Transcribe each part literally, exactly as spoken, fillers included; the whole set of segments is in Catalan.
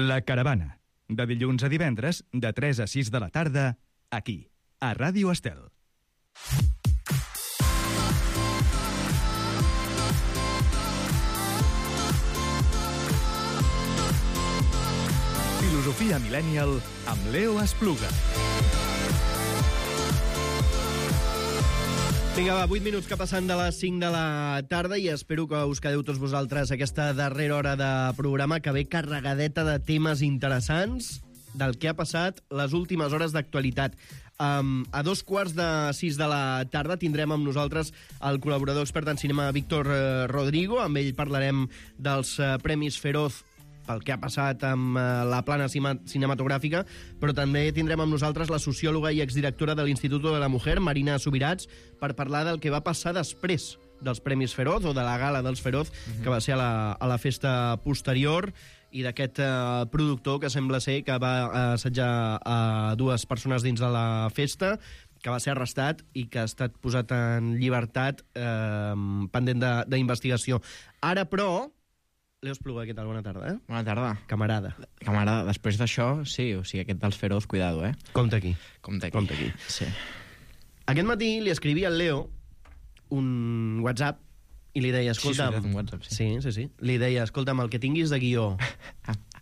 La Caravana, de dilluns a divendres, de tres a sis de la tarda, aquí, a Ràdio Estel. Filosofia Millennial amb Leo Espluga. Vinga, va, vuit minuts que passen de les cinc de la tarda i espero que us quedeu tots vosaltres aquesta darrera hora de programa que ve carregadeta de temes interessants del que ha passat les últimes hores d'actualitat. Um, a dos quarts de sis de la tarda tindrem amb nosaltres el col·laborador expert en cinema Víctor eh, Rodrigo. Amb ell parlarem dels eh, Premis Feroz pel que ha passat amb eh, la plana cinematogràfica, però també tindrem amb nosaltres la sociòloga i exdirectora de l'Institut de la Mujer, Marina Subirats, per parlar del que va passar després dels Premis Feroz, o de la gala dels Feroz, uh-huh. que va ser a la, a la festa posterior, i d'aquest eh, productor que sembla ser que va assetjar a dues persones dins de la festa, que va ser arrestat i que ha estat posat en llibertat eh, pendent d'investigació. Ara, però, Leo Espluga, què tal? Bona tarda, eh? Bona tarda. Camarada. Camarada, després d'això, sí, o sigui, aquest dels Feroz, cuidado, eh? Compte aquí. Compte aquí. Compte aquí. Sí. Aquest matí li escrivia al Leo un WhatsApp i li deia, escolta'm... Sí, sí, un WhatsApp, sí. Sí, sí, sí. Li deia, escolta'm, el que tinguis de guió,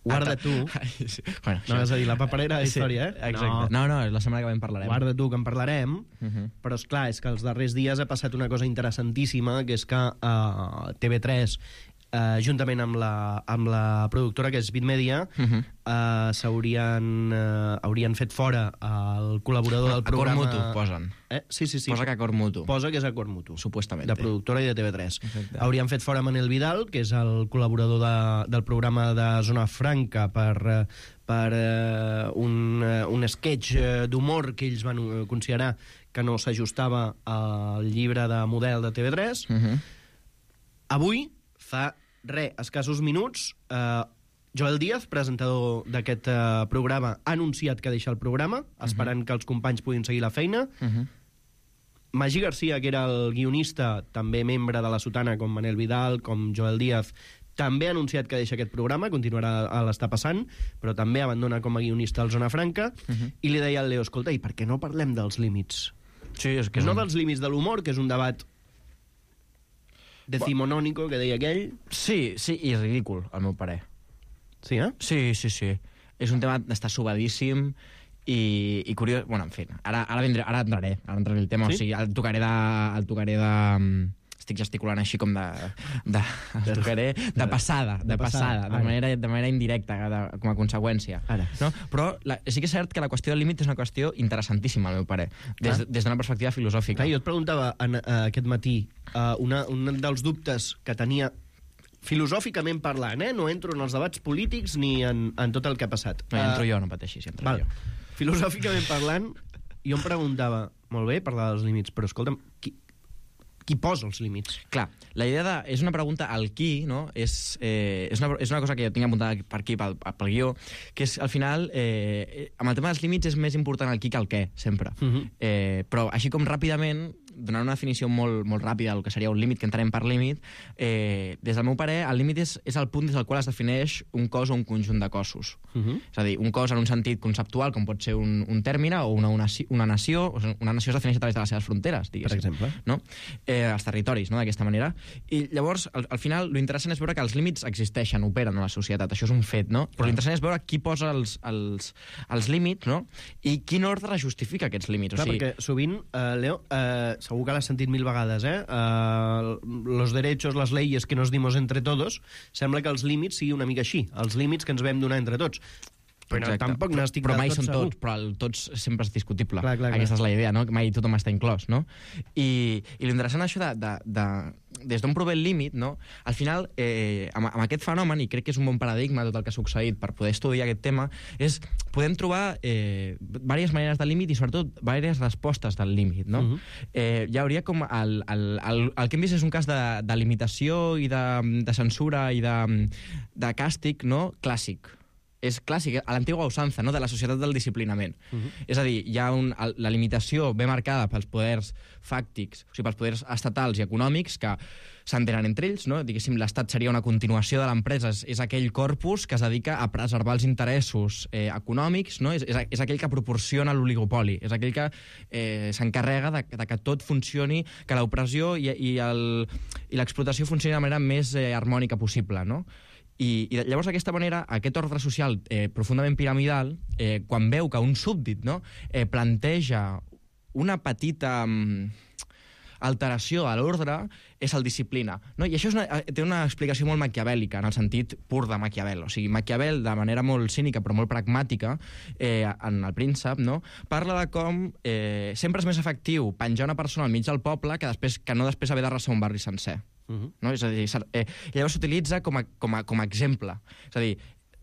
guarda tu... Ai, sí. Bueno, no, és a dir, la paperera de sí, història, eh? Exacte. No, no, la setmana que ve en parlarem. Guarda tu, que en parlarem, uh -huh. però, esclar, és que els darrers dies ha passat una cosa interessantíssima, que és que uh, T V tres... Uh, juntament amb la, amb la productora, que és Bitmedia, uh -huh. uh, s'haurien uh, haurien fet fora el col·laborador del programa... Acord mutu, posen. Eh? Sí, sí, sí. Posa que acord mutu. Posa que és acord mutu. Supuestament. De productora i de T V tres. Exacte. Haurien fet fora Manel Vidal, que és el col·laborador de, del programa de Zona Franca, per, per uh, un, uh, un sketch d'humor que ells van considerar que no s'ajustava al llibre de model de T V tres. Uh -huh. Avui, fa re, escassos minuts, eh, Joel Díaz, presentador d'aquest eh, programa, ha anunciat que deixa el programa, esperant uh -huh. que els companys puguin seguir la feina. Uh -huh. Magí Garcia, que era el guionista, també membre de la Sotana, com Manel Vidal, com Joel Díaz, també ha anunciat que deixa aquest programa, continuarà a l'estar passant, però també abandona com a guionista el Zona Franca, uh -huh. i li deia al Leo, escolta, i per què no parlem dels límits? Sí, és que és no un... dels límits de l'humor, que és un debat decimonònico, que deia aquell. Sí, sí, i ridícul, al meu parer. Sí, eh? Sí, sí, sí. És un tema d'estar subadíssim i, i curiós... Bueno, en fi, ara, ara, vindré, ara entraré, ara entraré el tema, sí? O sigui, el tocaré de... El tocaré de... Estic gesticulant així com de... de el tocaré de passada, de, de passada, de manera, de manera indirecta, de, com a conseqüència. Ara. No? Però la, sí que és cert que la qüestió del límit és una qüestió interessantíssima, al meu parer, des, des d'una perspectiva filosòfica. Clar, jo et preguntava en, uh, aquest matí uh, una, un dels dubtes que tenia filosòficament parlant, eh? No entro en els debats polítics ni en, en tot el que ha passat. No, uh, entro jo, no pateixis, entro val. jo. Filosòficament parlant, jo em preguntava, molt bé, parlar dels límits, però escolta'm, qui, qui posa els límits? Clar, la idea de... És una pregunta al qui, no? És, eh, és, una, és una cosa que jo tinc apuntada per aquí, pel, pel guió, que és, al final, eh, amb el tema dels límits és més important el qui que el què, sempre. Uh -huh. eh, però, així com ràpidament, donant una definició molt, molt ràpida del que seria un límit, que entrarem per límit, eh, des del meu parer, el límit és, és el punt des del qual es defineix un cos o un conjunt de cossos. Uh -huh. És a dir, un cos en un sentit conceptual, com pot ser un, un tèrmine, o una, una, una nació. Una nació es defineix a través de les seves fronteres, diguéssim. Per exemple. No? Eh, els territoris, no?, d'aquesta manera. I llavors, al, al final, l'interessant és veure que els límits existeixen, operen a la societat, això és un fet, no? Però l'interessant és veure qui posa els, els, els límits, no?, i quin ordre justifica aquests límits. Clar, o sigui... perquè sovint, uh, Leo, uh, segur que l'has sentit mil vegades, eh? Uh, los derechos, les leyes que nos dimos entre todos, sembla que els límits sigui una mica així, els límits que ens vam donar entre tots. Però Exacte. tampoc n'estic però, però mai del tot són segur. tots, però el tots sempre és discutible. Clar, clar, Aquesta clar. és la idea, no? Mai tothom està inclòs, no? I, i l'interessant això de, de, de, des d'on prové el límit, no? Al final, eh, amb, amb aquest fenomen, i crec que és un bon paradigma tot el que ha succeït per poder estudiar aquest tema, és podem trobar eh, diverses maneres de límit i sobretot diverses respostes del límit, no? Uh-huh. eh, hi hauria com el, el, el, el que hem vist és un cas de, de limitació i de, de censura i de, de càstig, no?, clàssic. és clàssic, a l'antigua usança, no? De la societat del disciplinament. Uh-huh. És a dir, hi ha un, la limitació ve marcada pels poders fàctics, o sigui, pels poders estatals i econòmics que s'entenen entre ells, no? Diguéssim, l'Estat seria una continuació de l'empresa, és, és aquell corpus que es dedica a preservar els interessos eh, econòmics, no? És, és, és aquell que proporciona l'oligopoli, és aquell que eh, s'encarrega de, de que tot funcioni, que l'opressió i, i, el, i l'explotació funcioni de manera més eh, harmònica possible, no? I, I llavors, d'aquesta manera, aquest ordre social eh, profundament piramidal, eh, quan veu que un súbdit, no, eh, planteja una petita mm, alteració a l'ordre, és el disciplina. No? I això és una, té una explicació molt maquiavèlica, en el sentit pur de Maquiavel. O sigui, Maquiavel, de manera molt cínica però molt pragmàtica, eh, en El príncep, no? Parla de com eh, sempre és més efectiu penjar una persona al mig del poble que, després, que no després haver d'arrasar un barri sencer. Uh-huh. No? És a dir, eh, llavors s'utilitza com, a, com, a, com a exemple. És a dir,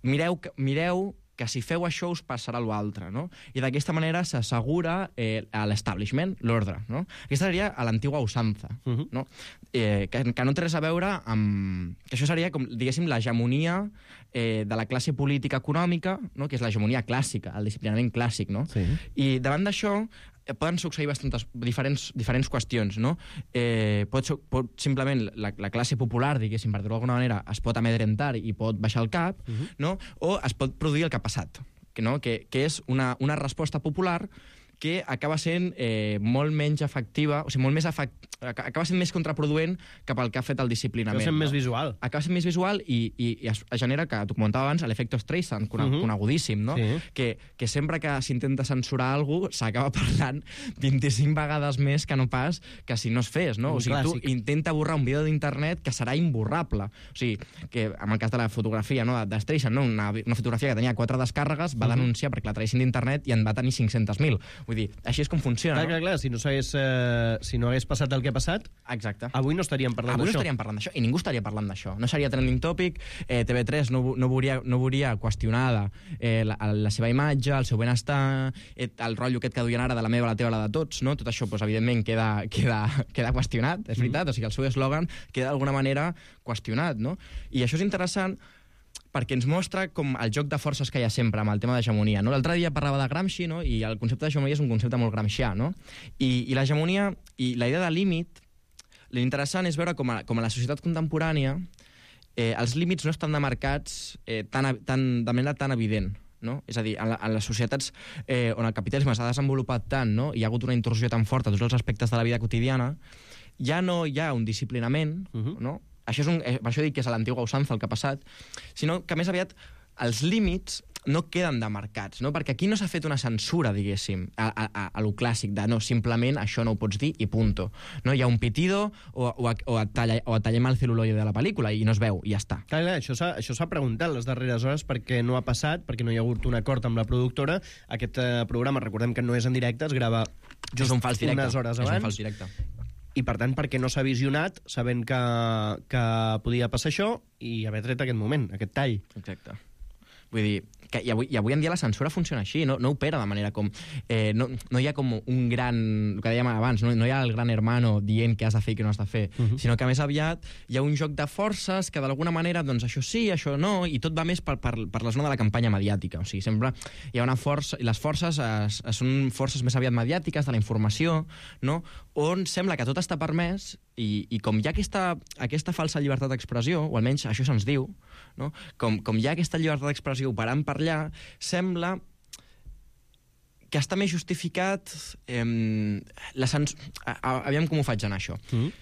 mireu, mireu que si feu això us passarà l'altre, no? I d'aquesta manera s'assegura eh, a l'establishment, l'ordre, no? Aquesta seria a l'antigua usança, uh-huh. no? Eh, que, que no té res a veure amb... Que això seria, com, diguéssim, l'hegemonia eh, de la classe política econòmica, no? Que és l'hegemonia clàssica, el disciplinament clàssic, no? Sí. I davant d'això poden succeir bastantes diferents, diferents qüestions, no? Eh, pot, pot simplement la, la classe popular, diguéssim, per dir-ho d'alguna manera, es pot amedrentar i pot baixar el cap, uh-huh. no? O es pot produir el que ha passat, que, no? que, que és una, una resposta popular que acaba sent eh, molt menys efectiva, o sigui, molt més efect... acaba sent més contraproduent cap al que ha fet el disciplinament. Acaba sent no? més visual. Acaba sent més visual i, i, i es, es genera, que tu comentava abans, l'efecte Streisand, cone, uh -huh. conegudíssim, no? Sí. Que, que sempre que s'intenta censurar alguna cosa s'acaba parlant vint-i-cinc vegades més que no pas que si no es fes, no? Un o sigui, clàssic. Tu intenta borrar un vídeo d'internet que serà imborrable. O sigui, que en el cas de la fotografia, no, de Streisand, no? una, una fotografia que tenia quatre descàrregues, va uh -huh. denunciar perquè la traïssin d'internet i en va tenir cinc-centes mil. Vull dir, així és com funciona, clar, no? Clar, clar, si no, eh, si no hagués passat el que ha passat, exacte. Avui no estaríem parlant d'això. Avui no estaríem parlant d'això, i ningú estaria parlant d'això. No seria trending topic, eh, T V tres no, no, veuria, no veuria qüestionada eh, la, la seva imatge, el seu benestar, eh, el rotllo aquest que duien ara de la meva, la teva, la de tots, no? Tot això, doncs, evidentment, queda, queda, queda qüestionat, és veritat, mm. o sigui, el seu eslògan queda d'alguna manera qüestionat, no? I això és interessant perquè ens mostra com el joc de forces que hi ha sempre amb el tema d'hegemonia. No? L'altre dia parlava de Gramsci, no? I el concepte d'hegemonia és un concepte molt gramscià, no? I, i l'hegemonia i la idea de límit, l'interessant és veure com a, com a la societat contemporània eh, els límits no estan demarcats eh, tan, tan, de manera tan evident. No? És a dir, en, la, en les societats eh, on el capitalisme s'ha desenvolupat tant, no? I hi ha hagut una intrusió tan forta a tots els aspectes de la vida quotidiana, ja no hi ha un disciplinament, uh-huh. no? Això és un, eh, per això dic que és a l'antigua usança el que ha passat, sinó que més aviat els límits no queden demarcats, no? Perquè aquí no s'ha fet una censura, diguéssim, a, a, a lo clàssic de no, simplement això no ho pots dir i punto. No? Hi ha un pitido o, o, o, et talla, o et tallem el celuloide de la pel·lícula i no es veu, i ja està. Clar, clar, això s'ha això s'ha preguntat les darreres hores perquè no ha passat, perquè no hi ha hagut un acord amb la productora. Aquest eh, programa, recordem que no és en directe, es grava just un fals directe. unes hores abans. És un fals directe. I, per tant, perquè no s'ha visionat, sabent que, que podia passar això, i haver tret aquest moment, aquest tall. Exacte. Vull dir, que i avui, i avui en dia la censura funciona així, no, no opera de manera com... Eh, no, no hi ha com un gran... El que dèiem abans, no, no hi ha el gran hermano dient què has de fer i què no has de fer, uh-huh. sinó que més aviat hi ha un joc de forces que d'alguna manera, doncs això sí, això no, i tot va més per, per, per la zona de la campanya mediàtica. O sigui, sempre hi ha una força... I les forces es, es, són forces més aviat mediàtiques, de la informació, no? On sembla que tot està permès i, i com hi ha aquesta, aquesta falsa llibertat d'expressió, o almenys això se'ns diu, no? com, com hi ha aquesta llibertat d'expressió operant per allà, sembla que està més justificat eh, la sens... Aviam com ho faig anar, això. Mm.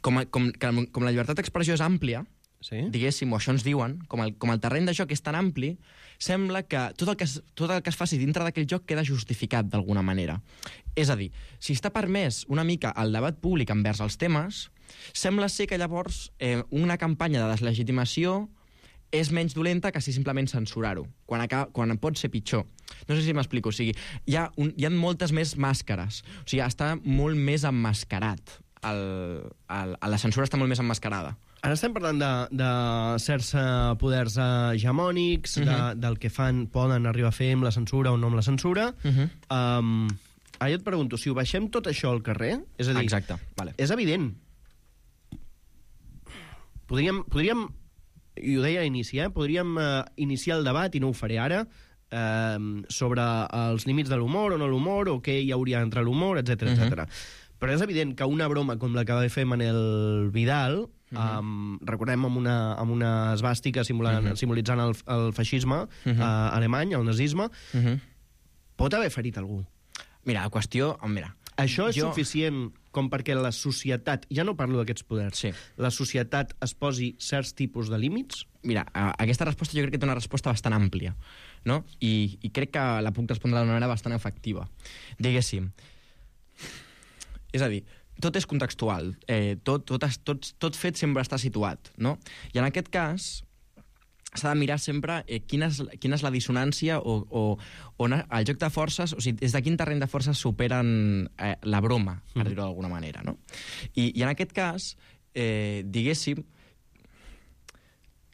Com, com, com la llibertat d'expressió és àmplia, sí? Diguéssim, o això ens diuen, com el, com el terreny de joc és tan ampli, sembla que tot el que es, tot el que es faci dintre d'aquell joc queda justificat d'alguna manera. És a dir, si està permès una mica el debat públic envers els temes, sembla ser que llavors eh, una campanya de deslegitimació és menys dolenta que si simplement censurar-ho, quan, acaba, quan pot ser pitjor. No sé si m'explico. O sigui, hi ha, un, hi ha moltes més màscares. O sigui, està molt més emmascarat. El, el, la censura està molt més emmascarada. Ara estem parlant de, de certs poders hegemònics, uh-huh. de, del que fan, poden arribar a fer amb la censura o no amb la censura. Uh-huh. Um, ara jo et pregunto, si ho baixem tot això al carrer, és a dir, exacte, vale. És evident. Podríem, podríem i ho deia a inici, eh? podríem eh, iniciar el debat, i no ho faré ara, eh, sobre els límits de l'humor o no l'humor, o què hi hauria entre l'humor, etcètera, Mhm. etcètera. Però és evident que una broma com la que va fer Manel Vidal, Mhm. um, recordem amb una, amb una esbàstica simulant, Mhm. simbolitzant el, el feixisme Mhm. uh, alemany, el nazisme, Mhm. pot haver ferit algú. Mira, la qüestió... Mira, Això és jo- suficient com perquè la societat, ja no parlo d'aquests poders, Sí. la societat es posi certs tipus de límits? Mira, a- aquesta resposta jo crec que té una resposta bastant àmplia, no? I, i crec que la puc respondre d'una manera bastant efectiva. Diguéssim, és a dir, tot és contextual, eh, tot, tot, es- tot, tot fet sempre està situat, no? I en aquest cas s'ha de mirar sempre eh, quina, és, quina és la dissonància o, o on el joc de forces, o sigui, des de quin terreny de forces superen eh, la broma, per dir-ho d'alguna manera, no? I, I en aquest cas, eh, diguéssim,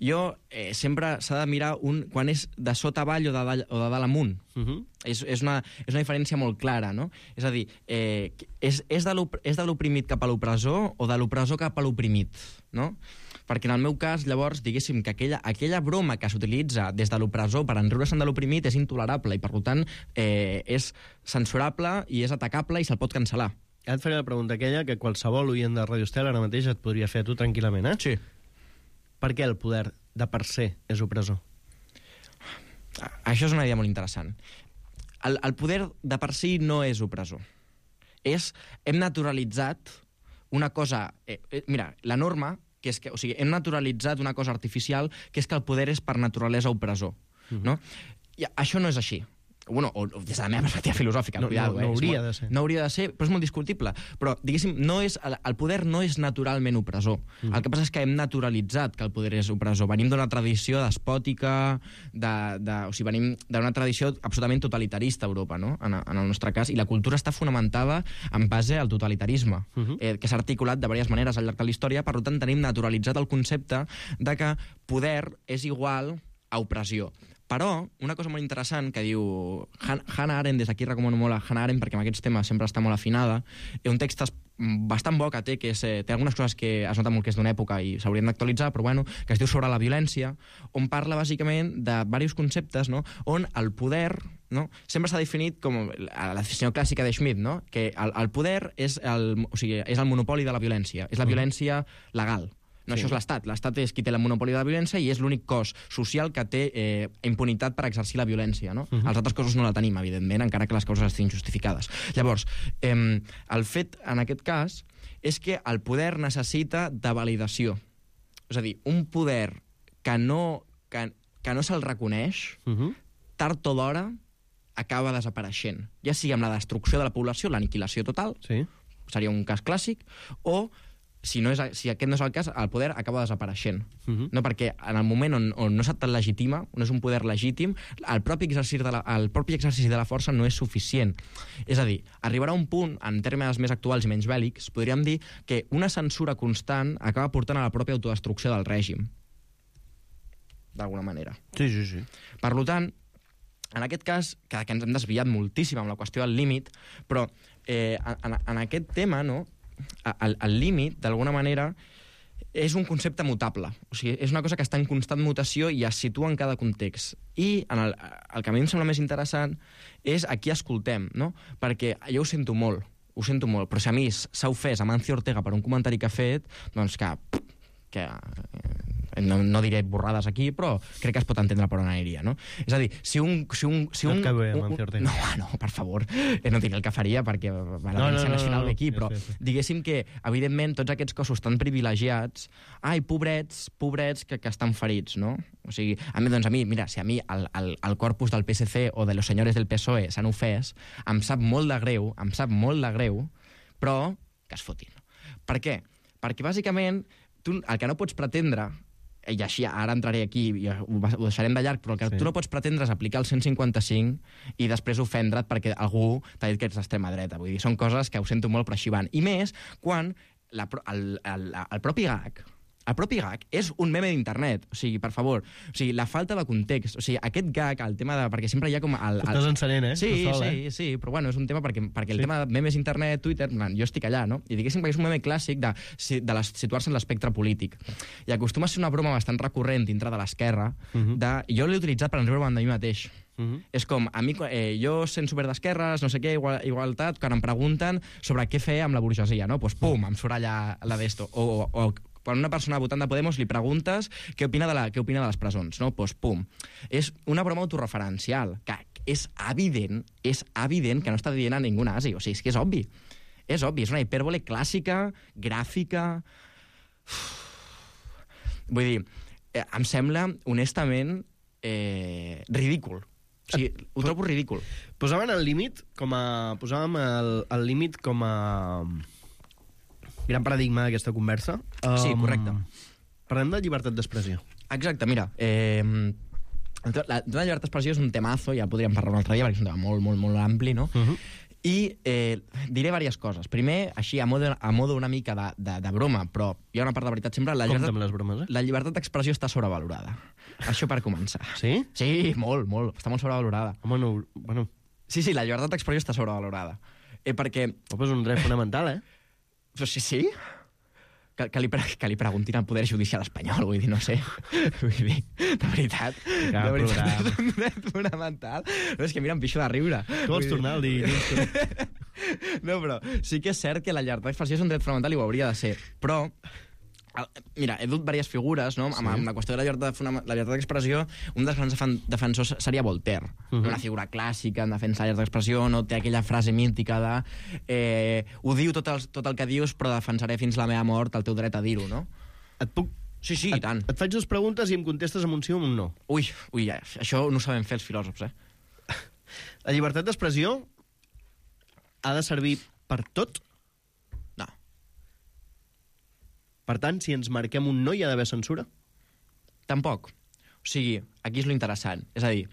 jo eh, sempre s'ha de mirar un, quan és de sota avall o de dalt, o de dalt amunt. Uh -huh. És, és, una, és una diferència molt clara, no? És a dir, eh, és, és de l'op- és de l'oprimit cap a l'opressor o de l'opressor cap a l'oprimit, no? Perquè en el meu cas, llavors, diguéssim que aquella, aquella broma que s'utilitza des de l'opressor per enriure-se'n de l'oprimit és intolerable i, per tant, eh, és censurable i és atacable i se'l pot cancel·lar. Ja et faré la pregunta aquella que qualsevol oient de Radio Estel ara mateix et podria fer a tu tranquil·lament, eh? Sí. Per què el poder de per se és opressor? Això és una idea molt interessant. El, el poder de per si no és opressor. És, hem naturalitzat una cosa... Eh, eh, mira, la norma, que és que, o sigui, hem naturalitzat una cosa artificial, que és que el poder és per naturalesa opressor. Mhm. No? I això no és així. Bueno, o, o des de la meva perspectiva filosòfica, No- cuidado, no- eh? no És hauria molt- de ser. No hauria de ser, però és molt discutible. Però, diguéssim, no és, el, el poder no és naturalment opressor. Mhm. El que passa és que hem naturalitzat que el poder és opressor. Venim d'una tradició despòtica, de, de, o sigui, venim d'una tradició absolutament totalitarista a Europa, no? en, en el nostre cas, i la cultura està fonamentada en base al totalitarisme, Mhm. eh, que s'ha articulat de diverses maneres al llarg de la història, per tant tenim naturalitzat el concepte de que poder és igual a opressió. Però, una cosa molt interessant que diu Han- Hannah Arendt, des d'aquí recomano molt a Hannah Arendt perquè amb aquests temes sempre està molt afinada, és un text es- bastant bo que té, que és, eh, té algunes coses que es nota molt que és d'una època i s'haurien d'actualitzar, però bueno, que es diu Sobre la violència, on parla bàsicament de diversos conceptes, no?, on el poder, no?, sempre s'ha definit com la definició clàssica de Schmitt, no?, que el, el poder és el, o sigui, és el monopoli de la violència, és la violència legal. No, Sí. això és l'Estat. L'Estat és qui té el monopoli de la violència i és l'únic cos social que té eh, impunitat per exercir la violència. No? Uh -huh. Els altres cossos no la tenim, evidentment, encara que les causes estiguin justificades. Llavors, eh, el fet, en aquest cas, és que el poder necessita de validació. És a dir, un poder que no, que, que no se'l reconeix, Uh -huh. tard o d'hora, acaba desapareixent. Ja sigui amb la destrucció de la població, l'aniquilació total, Sí. seria un cas clàssic, o si, no és, si aquest no és el cas, el poder acaba desapareixent. Uh -huh. No, perquè en el moment on, on no se't legitima, on és un poder legítim, el propi, exercici de la, el propi exercici de la força no és suficient. És a dir, arribarà un punt, en termes més actuals i menys bèl·lics, podríem dir que una censura constant acaba portant a la pròpia autodestrucció del règim. D'alguna manera. Sí, sí, sí. Per tant, en aquest cas, que, que ens hem desviat moltíssim amb la qüestió del límit, però eh, en, en aquest tema, no, el, el límit, d'alguna manera, és un concepte mutable. O sigui, és una cosa que està en constant mutació i es situa en cada context. I en el, el que a mi em sembla més interessant és a qui escoltem, no? Perquè jo ho sento molt, ho sento molt, però si a mi s'ha ofès Amancio Ortega per un comentari que ha fet, doncs que... que no, no diré borrades aquí, però crec que es pot entendre per on aniria, no? És a dir, si un... Si un, si No un et cau bé, un- Amancio Ortega. No, no, per favor, eh, no diré el que faria perquè va la No, no, Audiència no, Nacional no, no. ve aquí, Ja però sé, ja sé. diguéssim que, evidentment, tots aquests cossos tan privilegiats, ai, pobrets, pobrets que, que estan ferits, no? O sigui, a mi, doncs a mi, mira, si a mi el, el, el corpus del P S C o de los senyores del P S O E s'han ofès, em sap molt de greu, em sap molt de greu, però que es fotin. Per què? Perquè, bàsicament, tu el que no pots pretendre, i així ara entraré aquí i ho, ho deixarem de llarg, però el que Sí. sí. tu no pots pretendre és aplicar el cent cinquanta-cinc i després ofendre't perquè algú t'ha dit que ets d'extrema dreta. Vull dir, són coses que ho sento molt, però així van. I més quan la, pro- el, el, el propi G A C, El propi gag és un meme d'internet. O sigui, per favor, o sigui, la falta de context. O sigui, aquest gag, el tema de... Perquè sempre hi ha com... El, el... Estàs encenent, eh? Sí, sol, sí, eh? sí, però bueno, és un tema perquè, perquè el Sí. tema de memes internet, Twitter, man, jo estic allà, no? I diguéssim que és un meme clàssic de, de les, situar-se en l'espectre polític. I acostuma a ser una broma bastant recurrent dintre de l'esquerra. Mhm. de... Jo l'he utilitzat per enriure-me'n de mi mateix. Mhm. És com, a mi, eh, jo sent super d'esquerres, no sé què, igual, igualtat, quan em pregunten sobre què fer amb la burgesia, no? Doncs pum, em surt allà la d'esto. O, o, o quan una persona votant de Podemos li preguntes què opina de, la, què opina de les presons, no? Doncs pum. És una broma autorreferencial, que és evident, és evident que no està dient a ningú nazi. O sigui, és que és obvi. És obvi, és una hipèrbole clàssica, gràfica... Vull dir, eh, em sembla, honestament, eh, ridícul. O sigui, ho trobo ridícul. Posaven el límit com a... Posàvem el, el límit com a... gran paradigma d'aquesta conversa. Sí, correcte. Parlem de llibertat d'expressió. Exacte, mira, eh, la, la llibertat d'expressió és un temazo, ja podríem parlar un altre dia, perquè és un tema molt, molt, molt ampli, no? Uh -huh. I eh, diré diverses coses. Primer, així, a modo, a modo una mica de, de, de broma, però hi ha una part de veritat sempre. La Compte llibertat, amb les bromes, eh? la llibertat d'expressió està sobrevalorada. Això per començar. Sí? Sí, molt, molt. Està molt sobrevalorada. Home, no... Bueno, Sí, sí, la llibertat d'expressió està sobrevalorada. Eh, perquè... però és un dret fonamental, eh? Però sí, sí. Que, que, li, pre- que li preguntin al Poder Judicial espanyol, vull dir, no sé. Vull dir, de veritat, Cap de veritat programa. és un dret fonamental. No, és que mira, em pixo de riure. Tu vols tornar al dia? No, però sí que és cert que la llibertat d'expressió és un dret fonamental i ho hauria de ser. Però, el- mira, he dut diverses figures, no? Amb, amb la qüestió de la llibertat, fonam- la llibertat d'expressió, un dels grans defen- defensors seria Voltaire, Mhm. una figura clàssica en defensa de la llibertat d'expressió, no? Té aquella frase mítica de eh, ho diu tot el, tot el que dius, però defensaré fins la meva mort el teu dret a dir-ho, no? Et puc... Sí, sí, i et, tant. et faig dues preguntes i em contestes amb un sí o amb un no. Ui, ui, ja, això no ho sabem fer els filòsofs, eh? La llibertat d'expressió ha de servir per tot? No. Per tant, si ens marquem un no, hi ha d'haver censura? Tampoc. O sigui, aquí és lo interessant. És a dir,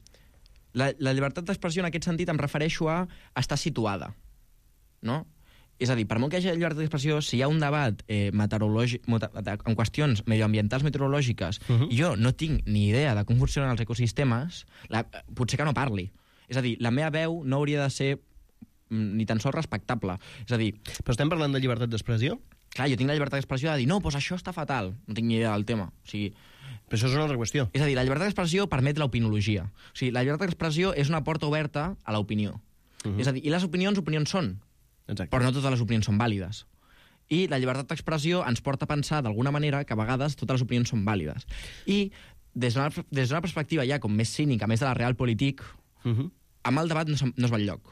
la, la llibertat d'expressió en aquest sentit em refereixo a estar situada, no? És a dir, per molt que hi hagi llibertat d'expressió, si hi ha un debat eh, meteorològic, en qüestions medioambientals meteorològiques, Uh-huh. i jo no tinc ni idea de com funcionen els ecosistemes, la, potser que no parli. És a dir, la meva veu no hauria de ser mm, ni tan sols respectable. És a dir, Però estem parlant de llibertat d'expressió? clar, jo tinc la llibertat d'expressió de dir no, doncs això està fatal. No tinc ni idea del tema. O sigui, Però això és una altra qüestió. és a dir, la llibertat d'expressió permet l'opinologia. O sigui, la llibertat d'expressió és una porta oberta a l'opinió. Mhm. És a dir, i les opinions, opinions són, Exacte. però no totes les opinions són vàlides. I la llibertat d'expressió ens porta a pensar d'alguna manera que a vegades totes les opinions són vàlides. I des d'una des d'una perspectiva ja com més cínica, més de la realpolitik, Uh -huh. amb el debat no, se, no es va enlloc.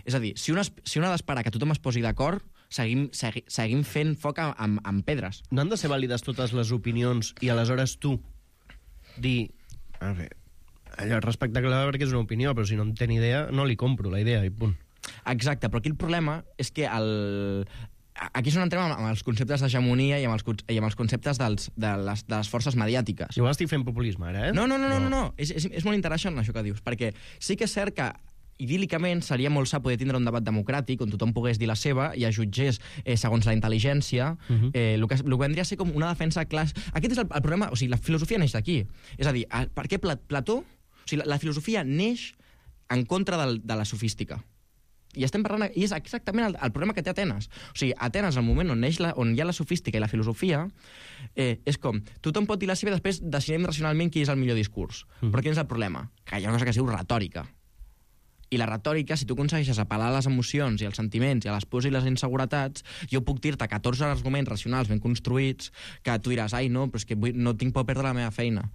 És a dir, si una, es- si una ha d'esperar que tothom es posi d'acord, seguim, segui, seguim fent foc amb, amb, amb pedres. No han de ser vàlides totes les opinions i aleshores tu dir... A veure, allò és respectable perquè és una opinió, però si no en té ni idea, no li compro la idea i punt. Exacte, però aquí el problema és que el... aquí és on entrem amb els conceptes d'hegemonia i amb els, con- i amb els conceptes dels, de, les, de les forces mediàtiques. Igual estic fent populisme ara, eh? No, no, no, no, no, no. És, és, és molt interessant això que dius, perquè sí que és cert que idíl·licament seria molt sa poder tindre un debat democràtic on tothom pogués dir la seva i es jutgés eh, segons la intel·ligència, Mhm. eh, el, que, el que vendria a ser com una defensa clas... Aquest és el, el problema, o sigui, la filosofia neix d'aquí. És a dir, a, per què Pla- Plató... O sigui, la, la filosofia neix en contra del, de la sofística. I estem parlant... I és exactament el, el problema que té Atenes. O sigui, Atenes, al moment on, neix la, on hi ha la sofística i la filosofia, eh, és com, tothom pot dir la seva i després decidim racionalment quin és el millor discurs. Mhm. Però quin és el problema? Que hi ha una cosa que es diu retòrica. I la retòrica, si tu aconsegueixes apel·lar a les emocions i als sentiments i a les pors i les inseguretats, jo puc dir-te catorze arguments racionals ben construïts que tu diràs, ai, no, però és que vull, no tinc por perdre la meva feina.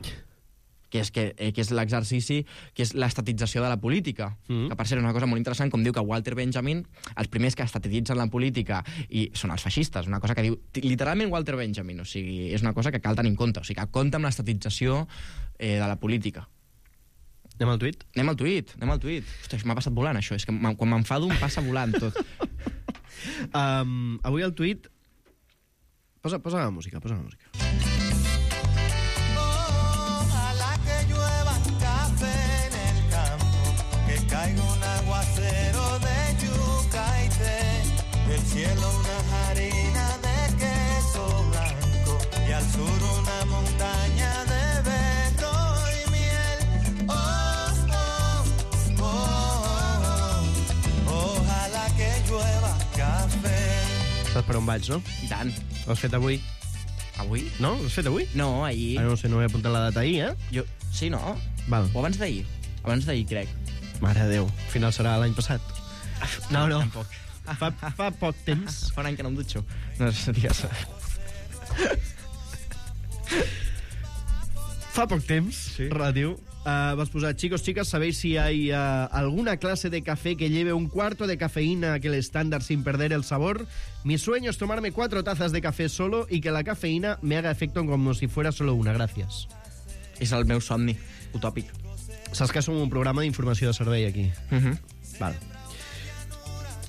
Que és, que, eh, que és l'exercici, que és l'estatització de la política. Mm. Que, per cert, és una cosa molt interessant, com diu que Walter Benjamin, els primers que estatitzen la política i són els feixistes, una cosa que diu literalment Walter Benjamin, o sigui, és una cosa que cal tenir en compte, o sigui, que compta amb l'estatització eh, de la política. Anem al tuit? Anem al tuit, anem al tuit. Ostres, m'ha passat volant, això. És que m'en- quan m'enfado em passa volant tot. Um, avui al tuit... Posa, posa la música, posa la música. Ojalá que llueva café en el campo, que caiga un aguacero de yuca y té, del cielo una harina de queso blanco y al sur per on vaig, no? I tant. L'has fet avui? Avui? No? L'has fet avui? No, ahir. Ah, no sé, no he apuntat la data ahir, eh? Jo... Sí, no? Val. O abans d'ahir. Abans d'ahir, crec. Mare de Déu, al final serà l'any passat. No, no. Tampoc. Fa, fa poc temps. Fa un any que no em dutxo. No sé, digues. Fa poc temps, Sí. relatiu. Uh, vas posar, chicos, chicas, ¿sabéis si hay uh, alguna clase de café que lleve un cuarto de cafeína a aquel estándar sin perder el sabor? Mi sueño es tomarme cuatro tazas de café solo y que la cafeína me haga efecto como si fuera solo una. Gracias. És el meu somni, utòpic. Saps que som un programa d'informació de servei, aquí. Uh -huh. Val.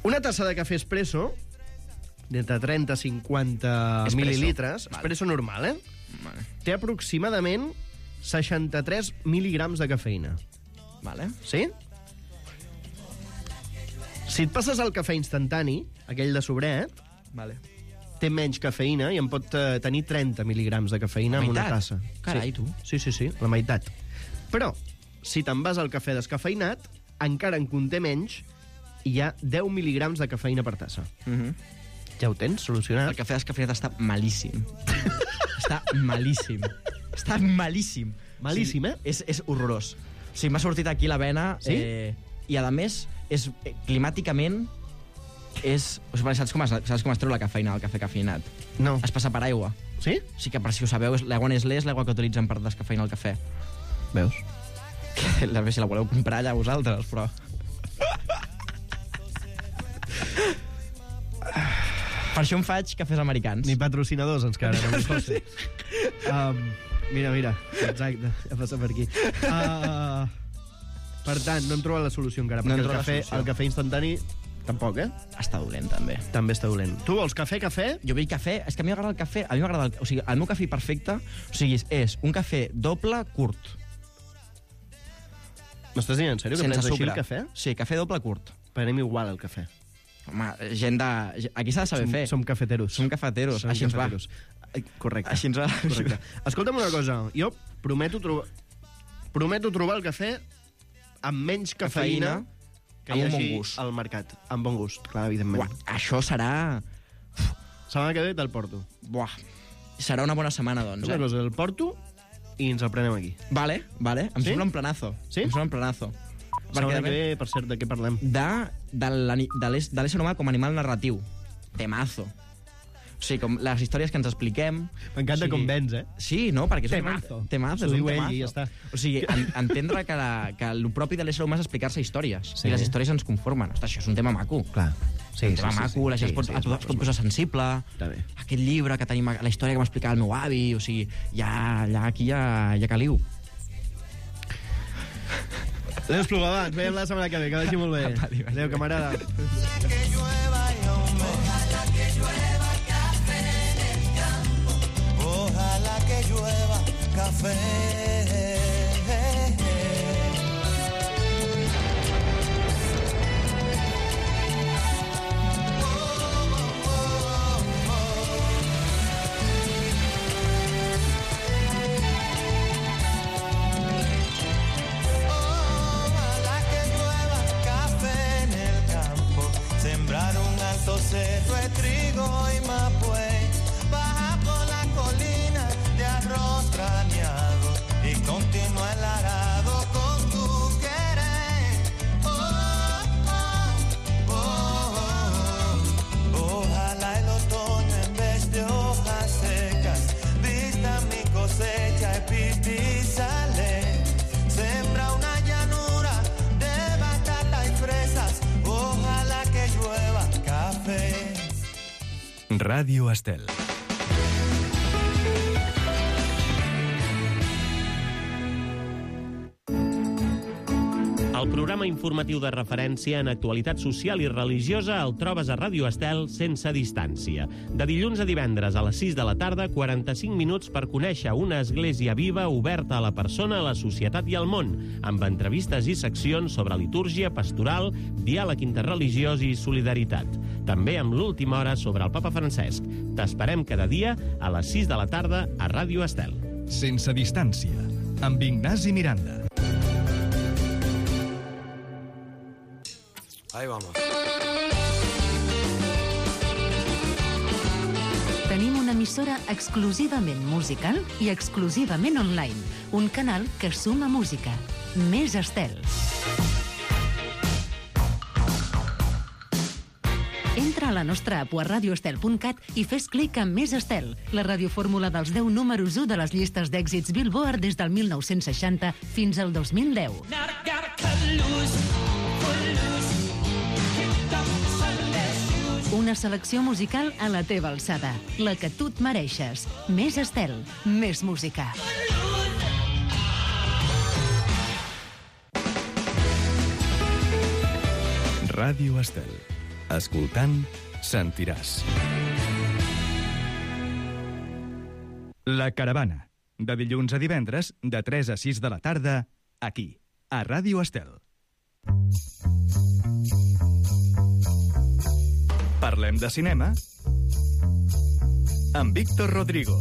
Una tassa de cafè espresso, d'entre trenta a cinquanta Espresso. mil·lilitres, Val. espresso normal, eh? Vale. Té aproximadament seixanta-tres mil·ligrams de cafeïna. Vale. Sí? Si et passes el cafè instantani, aquell de sobret, Vale. té menys cafeïna i en pot eh, tenir trenta mil·ligrams de cafeïna La en una meitat? tassa. Carai, sí. tu. Sí, sí, sí, la meitat. Però, si te'n vas al cafè descafeïnat, encara en conté menys i hi ha deu mil·ligrams de cafeïna per tassa. Uh -huh. Ja ho tens solucionat? El cafè descafeinat està malíssim. Està malíssim. Està malíssim. Malíssim, o sigui, eh? És, és horrorós. O sigui, m'ha sortit aquí la vena... Sí? Eh, I, a més, és, eh, climàticament, és... O sigui, saps com, es, saps com es treu la cafeïna del cafè cafeinat? No. Es passa per aigua. Sí? O sigui que, per si ho sabeu, és- l'aigua Nestlé és l'aigua que utilitzen per descafeinar el cafè. Veus? Que, a veure si la voleu comprar allà vosaltres, però... Per això em faig cafès americans. Ni patrocinadors, ens quedaran, no José. Um, mira, mira, exacte, ja passa per aquí. Uh, per tant, no hem trobat la solució encara, No hem perquè el trobat la cafè, solució. el cafè instantani tampoc, eh? Està dolent, també. També està dolent. Tu vols cafè, cafè? Jo vull cafè... És que a mi m'agrada el cafè... A mi m'agrada el... O sigui, el meu cafè perfecte... O sigui, és un cafè doble curt. M'estàs dient en sèrio que sense prens així sucre. el cafè? Sí, cafè doble curt. Prenem igual el cafè. Home, gent de... Aquí s'ha de saber som, fer. Som cafeteros. Som cafeteros. Som Així ens va. cafeteros. Ai, Correcte. Així ens va. Correcte. Escolta'm una cosa. Jo prometo, trobar prometo trobar el cafè amb menys cafeïna, Cafeïna, que amb hi un hagi bon gust. al mercat. Amb bon gust, clar, evidentment. Buah, això serà... Setmana que ve te'l porto. Buah. Serà una bona setmana, doncs, Una eh? cosa, el porto i ens el prenem aquí. Vale, vale. Em Sí? sembla un planazo. Sí? Em sembla un planazo. Setmana Perquè, que ve, per cert, de què parlem? de, de l'ani- de l'és- de l'ésser humà com a animal narratiu. Temazo. O sigui, com les històries que ens expliquem... M'encanta o sigui, com vens, eh? Sí, no, perquè és Temazo. un temazo. S'ho és un diu ell temazo. i ja està. O sigui, en, entendre que, la, que el propi de l'ésser humà és explicar-se històries. Sí. I les històries ens conformen. Ostres, això és un tema maco. Clar. Sí, un tema maco, la gent es pot, sí, es pot, es pot posar sensible. Està bé. Aquest llibre que tenim, la història que m'explicava el meu avi, o sigui, ja, ja aquí ja, ja caliu. Adéu, Espluga, ens veiem la setmana que ve, que vagi molt bé. Apa, vagi Adéu, bé. camarada. Que llueva y ojalá que llueva café en el campo. Ojalá que llueva café. Ojalá que llueva café en el campo, sembrar un alto cerro de trigo y mapuey, bajar por la colina de arroz craneado y continúa el arado con tu querer. Oh, oh, oh, oh. Ojalá el otoño en vez de hojas secas vista mi cosecha y pipi sale. Sembra una llanura de batata y fresas. Ojalá que llueva café. Ràdio Estel. El programa informatiu de referència en actualitat social i religiosa el trobes a Ràdio Estel sense distància. De dilluns a divendres a les sis de la tarda, quaranta-cinc minuts per conèixer una església viva oberta a la persona, a la societat i al món, amb entrevistes i seccions sobre litúrgia, pastoral, diàleg interreligiós i solidaritat. També amb l'última hora sobre el papa Francesc. T'esperem cada dia a les sis de la tarda a Ràdio Estel. Sense distància, amb Ignasi Miranda. Ahí vamos. una emissora exclusivament musical i exclusivament online. Un canal que suma música. Més Estel. Entra a la nostra app a radio estel punt cat i fes clic en Més Estel, la radiofórmula dels deu números u de les llistes d'èxits Billboard des del mil nou-cents seixanta fins al dos mil deu. Una selecció musical a la teva alçada, la que tu et mereixes. Més Estel, més música. Ràdio Estel. Escoltant, sentiràs. La Caravana. De dilluns a divendres, de tres a sis de la tarda, aquí, a Ràdio Estel. Parlem de cinema amb Víctor Rodrigo.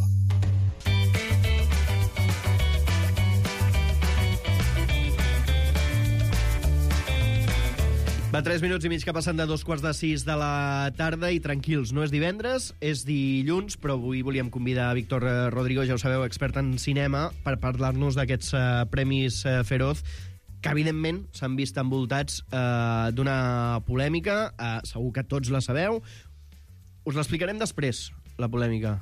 Va, tres minuts i mig que passen de dos quarts de sis de la tarda i tranquils, no és divendres, és dilluns, però avui volíem convidar a Víctor Rodrigo, ja ho sabeu, expert en cinema, per parlar-nos d'aquests uh, Premis uh, Feroz, que evidentment s'han vist envoltats uh, d'una polèmica, uh, segur que tots la sabeu. Us l'explicarem després, la polèmica.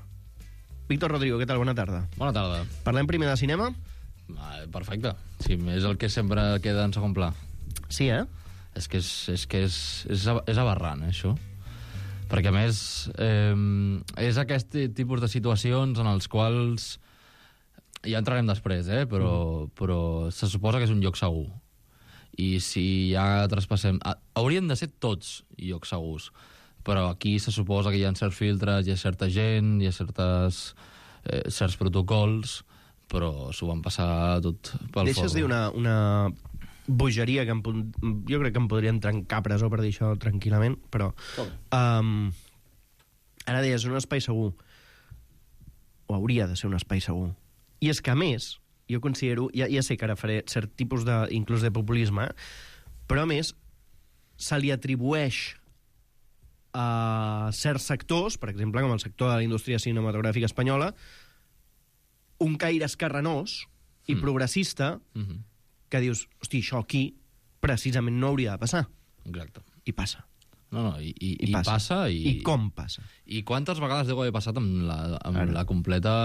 Víctor Rodrigo, què tal? Bona tarda. Bona tarda. Parlem primer de cinema? Ah, perfecte. Sí, és el que sempre queda en segon pla. Sí, eh? És que és, és, que és, és, és aberrant, eh, això. Perquè, a més, eh, és aquest tipus de situacions en els quals... Ja entrarem després, eh? Però, mm. però se suposa que és un lloc segur. I si ja traspassem... Haurien de ser tots llocs segurs. Però aquí se suposa que hi ha certs filtres, hi ha certa gent, hi ha certes, eh, certs protocols, però s'ho van passar tot pel Deixes forro. dir una... una... bogeria que em, jo crec que em podrien trencar presó per dir això tranquil·lament, però um, ara deies un espai segur, o hauria de ser un espai segur, i és que a més jo considero, ja, ja sé que ara faré cert tipus de, inclús de populisme, però a més se li atribueix a certs sectors, per exemple com el sector de la indústria cinematogràfica espanyola, un caire escarranós i mm. progressista mm-hmm. que dius, hosti, això aquí precisament no hauria de passar. Exacte. I passa. No, no, i, i, I, i passa. passa i... I com passa. I quantes vegades deu haver passat amb la, amb la completa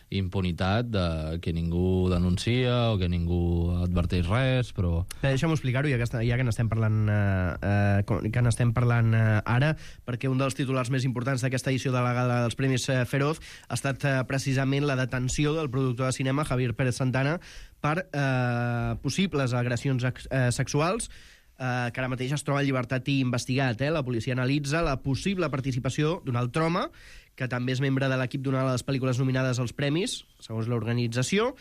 impunitat de que ningú denuncia o que ningú adverteix res, però... Deixa'm explicar-ho, ja que, ja que n'estem parlant, eh, que n'estem parlant eh, ara, perquè un dels titulars més importants d'aquesta edició de la gala dels Premis eh, Feroz ha estat eh, precisament la detenció del productor de cinema Javier Pérez Santana per eh, possibles agressions eh, sexuals, eh, que ara mateix es troba en llibertat i investigat. Eh? La policia analitza la possible participació d'un altre home, que també és membre de l'equip d'una de les pel·lícules nominades als premis, segons l'organització.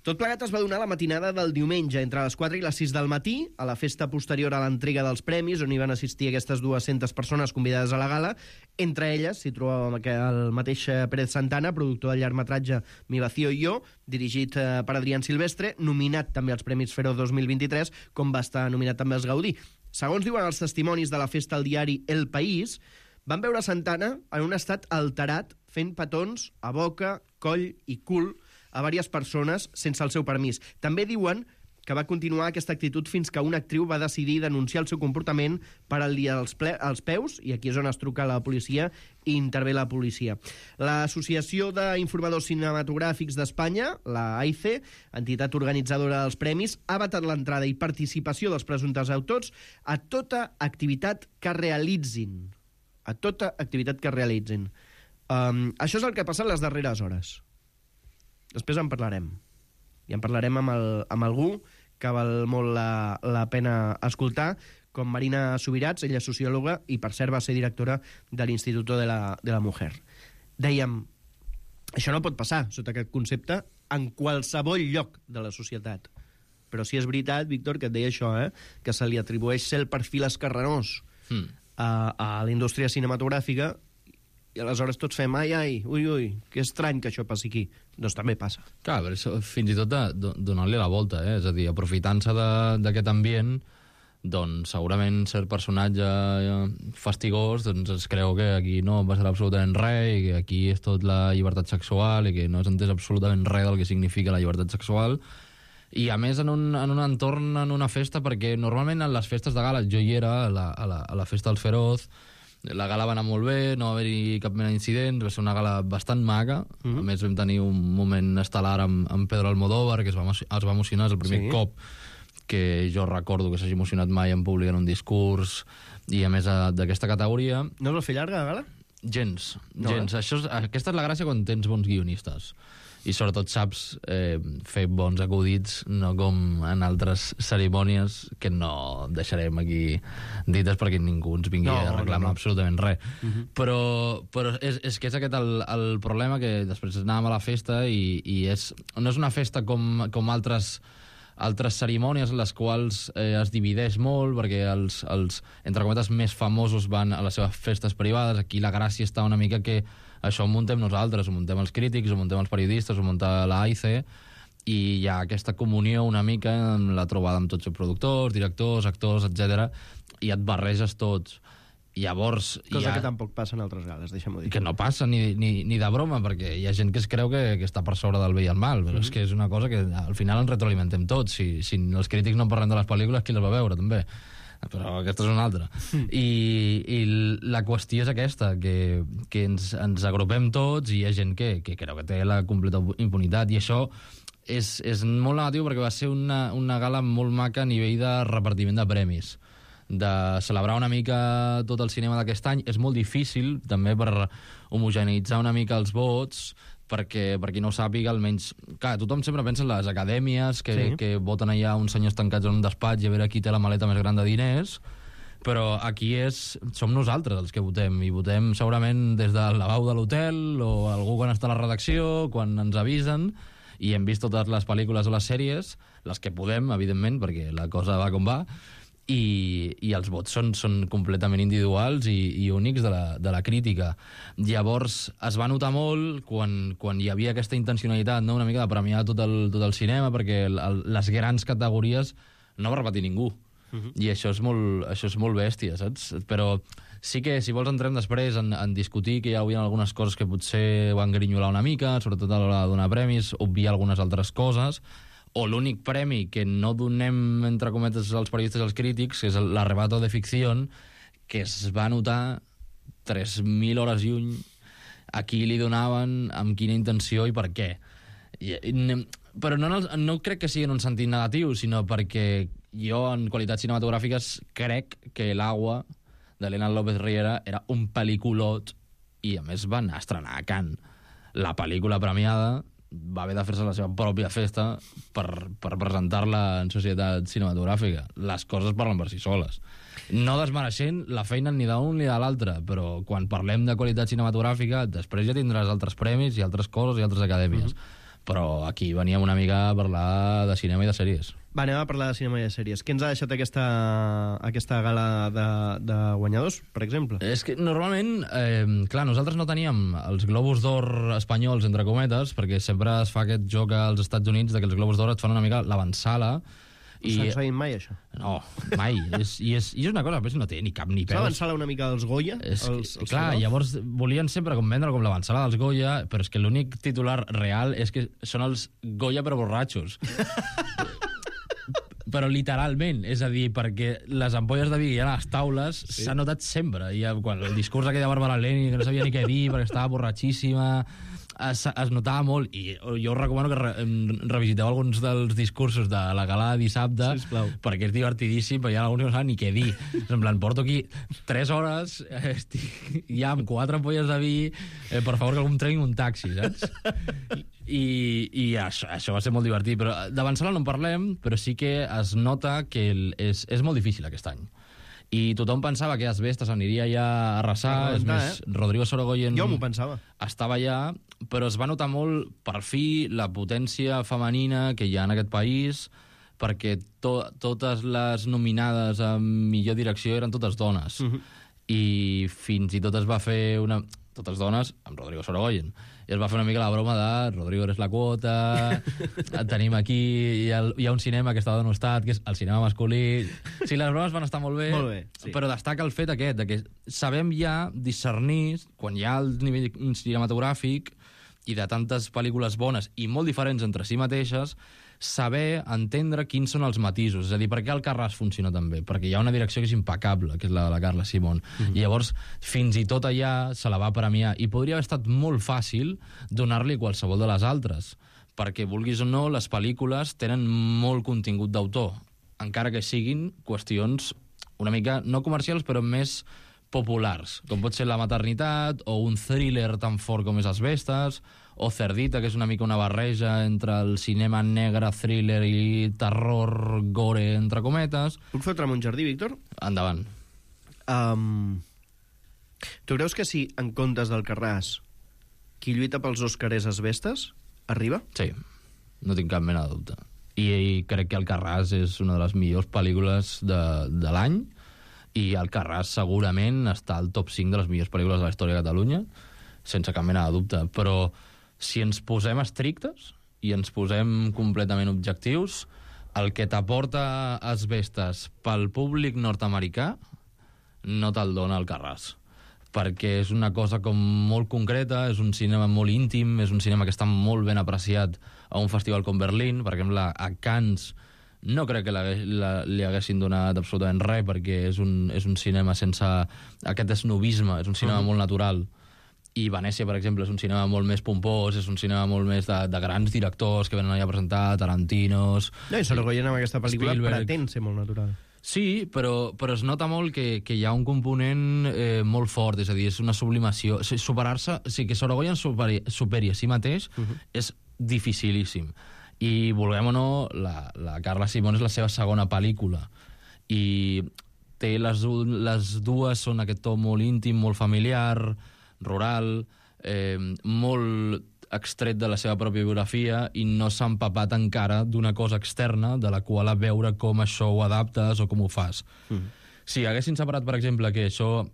Tot plegat es va donar la matinada del diumenge, entre les quatre i les sis del matí, a la festa posterior a l'entrega dels premis, on hi van assistir aquestes dues-centes persones convidades a la gala. Entre elles s'hi trobava el mateix Pérez Santana, productor del llargmetratge Mi vacío y yo, dirigit per Adrián Silvestre, nominat també als Premis Feroz dos mil vint-i-tres, com va estar nominat també als Gaudí. Segons diuen els testimonis de la festa al diari El País, van veure Santana en un estat alterat, fent petons a boca, coll i cul a diverses persones sense el seu permís. També diuen que va continuar aquesta actitud fins que una actriu va decidir denunciar el seu comportament per al dia als, ple als peus, i aquí és on es truca a la policia i intervé la policia. L'Associació d'Informadors Cinematogràfics d'Espanya, la A I C, entitat organitzadora dels premis, ha vetat l'entrada i participació dels presumptes autors a tota activitat que realitzin. A tota activitat que realitzin. Um, això és el que passa en les darreres hores. Després en parlarem. I en parlarem amb, el, amb algú que val molt la, la pena escoltar, com Marina Subirats, ella és sociòloga i, per cert, va ser directora de l'Institut de la, de la Mujer. Dèiem, això no pot passar, sota aquest concepte, en qualsevol lloc de la societat. Però sí és veritat, Víctor, que et deia això, eh? Que se li atribueix ser el perfil escarranós hmm. a, a la indústria cinematogràfica, i aleshores tots fem, ai, ai, ui, ui, que estrany que això passi aquí. Doncs també passa. Clar, però això, fins i tot de, de, donant-li la volta, eh? És a dir, aprofitant-se d'aquest ambient, doncs segurament cert personatge fastigós doncs es creu que aquí no passarà absolutament res i que aquí és tot la llibertat sexual i que no has entès absolutament res del que significa la llibertat sexual. I a més en un, en un entorn, en una festa, perquè normalment en les festes de gala, jo hi era a la, a la, a la festa del Feroz, la gala va anar molt bé, no va haver-hi cap mena d'incident, va ser una gala bastant maca. Mm-hmm. A més vam tenir un moment estel·lar amb, amb Pedro Almodóvar, que es va, es va emocionar, és el primer sí. cop que jo recordo que s'hagi emocionat mai en públic en un discurs, i a més d'aquesta categoria... No es va fer llarga la gala? Gens, no, gens. Eh? Això és, aquesta és la gràcia quan tens bons guionistes. I sobretot saps eh, fer bons acudits, no com en altres cerimònies que no deixarem aquí dites perquè ningú ens vingui no, a reclamar no, no. absolutament res. Uh-huh. Però, però és, és que és aquest el, el problema, que després anàvem a la festa i, i és, no és una festa com, com altres altres cerimònies en les quals eh, es divideix molt, perquè els, els, entre cometes, més famosos van a les seves festes privades. Aquí la gràcia està una mica que això ho muntem nosaltres, ho muntem els crítics, ho muntem els periodistes, ho munta la A I C, i hi ha aquesta comunió una mica amb la trobada amb tots els productors, directors, actors, etcètera, i et barreges tots. Llavors, cosa ha... que tampoc passa en altres gales, deixa'm-ho dir. Que no passa ni, ni, ni de broma, perquè hi ha gent que es creu que, que està per sobre del bé i el mal, però mm-hmm. és que és una cosa que al final ens retroalimentem tots. Si, si els crítics no parlen de les pel·lícules, qui les va veure, també? Però aquesta és una altra. Mm. I, I la qüestió és aquesta, que, que ens, ens agrupem tots i hi ha gent que, que creu que té la completa impunitat, i això és, és molt negatiu perquè va ser una, una gala molt maca a nivell de repartiment de premis, de celebrar una mica tot el cinema d'aquest any. És molt difícil, també, per homogeneitzar una mica els vots, perquè, per qui no ho sàpiga, almenys... Clar, tothom sempre pensa en les acadèmies, que, sí. que voten allà uns senyors tancats en un despatx i a veure qui té la maleta més gran de diners, però aquí és, som nosaltres els que votem, i votem segurament des del lavabo de l'hotel, o algú quan està a la redacció, quan ens avisen, i hem vist totes les pel·lícules o les sèries, les que podem, evidentment, perquè la cosa va com va, i, i els vots són, són completament individuals i, i únics de la, de la crítica. Llavors es va notar molt quan, quan hi havia aquesta intencionalitat, no? Una mica de premiar tot el, tot el cinema, perquè el, el, les grans categories no va repetir ningú. Uh-huh. I això és, molt, això és molt bèstia, saps? Però sí que, si vols, entrem després en, en discutir que hi havia algunes coses que potser van grinyolar una mica, sobretot a l'hora de donar premis, obviar algunes altres coses, o l'únic premi que no donem, entre cometes, als periodistes i als crítics, que és l'Arrebato de Ficción, que es va notar tres mil hores lluny a qui li donaven, amb quina intenció i per què. I, però no, no crec que sigui en un sentit negatiu, sinó perquè jo, en qualitats cinematogràfiques, crec que L'Agua, d'Elena López Riera, era un pel·lículot, i a més va anar a estrenar a Cannes. La pel·lícula premiada va haver de fer-se la seva pròpia festa per, per presentar-la en societat cinematogràfica. Les coses parlen per si soles. No desmereixent la feina ni d'un ni de l'altre, però quan parlem de qualitat cinematogràfica, després ja tindràs altres premis i altres coses i altres acadèmies. Mm-hmm. Però aquí veníem una mica a parlar de cinema i de sèries. Va, anem a parlar de cinema i de sèries. Què ens ha deixat aquesta, aquesta gala de, de guanyadors, per exemple? És que normalment, eh, clar, nosaltres no teníem els Globus d'Or espanyols, entre cometes, perquè sempre es fa aquest joc als Estats Units de que els Globus d'Or et fan una mica l'avançala. I... No s'ha mai, això? No, mai. és, i, és, I és una cosa que no té ni cap ni peus. L'avançala una mica dels Goya? És, els, els clar, Feroz. Llavors volien sempre com vendre com l'avançala dels Goya, però és que l'únic titular real és que són els Goya però borratxos. Però literalment, és a dir, perquè les ampolles de vi que hi ha a les taules s'ha sí. notat sempre. I quan el discurs aquell de Bàrbara Lenin, que no sabia ni què dir perquè estava borratxíssima, es, es notava molt. I jo us recomano que re, revisiteu alguns dels discursos de la gala de dissabte, sisplau, perquè és divertidíssim, perquè hi ha alguns que no saben ni què dir. En plan, porto aquí tres hores, estic ja amb quatre ampolles de vi, eh, per favor que algú em tregui un taxi, saps? I, i això, això va ser molt divertit, però d'avançar no en parlem, però sí que es nota que el, és, és molt difícil aquest any. I tothom pensava que Asbestas aniria ja a arrasar, a és més, eh? Rodrigo Sorogoyen jo m'ho pensava. Estava allà, però es va notar molt, per fi, la potència femenina que hi ha en aquest país, perquè to, totes les nominades a millor direcció eren totes dones. Uh-huh. I fins i tot es va fer una... totes dones, amb Rodrigo Sorogoyen. I es va fer una mica la broma de Rodrigo eres la quota, et tenim aquí, hi ha, hi ha un cinema que està denostat, que és el cinema masculí... Sí, les bromes van estar molt bé, molt bé sí. Però destaca el fet aquest, de que sabem ja discernir, quan hi ha el nivell cinematogràfic i de tantes pel·lícules bones i molt diferents entre si mateixes, saber entendre quins són els matisos. És a dir, per què el Carràs funciona tan bé? Perquè hi ha una direcció que és impecable, que és la de la Carla Simón. Mm-hmm. I llavors, fins i tot allà se la va premiar. I podria haver estat molt fàcil donar-li qualsevol de les altres. Perquè, vulguis o no, les pel·lícules tenen molt contingut d'autor. Encara que siguin qüestions una mica, no comercials, però més populars, com pot ser la maternitat, o un thriller tan fort com és Asbestes, o Cerdita, que és una mica una barreja entre el cinema negre, thriller i terror, gore, entre cometes. Puc fotre'm un jardí, Víctor? Endavant. Um, tu creus que si, en comptes del Carràs, qui lluita pels Òscars és Asbestes, arriba? Sí, no tinc cap mena de dubte. I, i crec que el Carràs és una de les millors pel·lícules de, de l'any, i el Carràs segurament està al top cinc de les millors pel·lícules de la història de Catalunya, sense cap mena de dubte. Però si ens posem estrictes i ens posem completament objectius, el que t'aporta Asbestes pel públic nord-americà no te'l dona el Carràs, perquè és una cosa com molt concreta, és un cinema molt íntim, és un cinema que està molt ben apreciat a un festival com Berlín. Per exemple, a Cannes no crec que la, la, li haguessin donat absolutament res, perquè és un, és un cinema sense aquest esnobisme, és un cinema mm. molt natural. I Venècia, per exemple, és un cinema molt més pompós, és un cinema molt més de, de grans directors que venen allà a presentar, Tarantinos... No, i Sorogoyen amb aquesta pel·lícula Spielberg. pretén ser molt natural. Sí, però, però es nota molt que, que hi ha un component eh, molt fort, és a dir, és una sublimació. Superar-se, o sigui, que Sorogoyen superi, superi a si mateix uh -huh. és dificilíssim. I, vulguem o no, la, la Carla Simón és la seva segona pel·lícula. I té les, les dues són aquest to molt íntim, molt familiar, rural, eh, molt extret de la seva pròpia biografia, i no s'ha empapat encara d'una cosa externa de la qual a veure com això ho adaptes o com ho fas. Mm. Si haguessin separat, per exemple, que això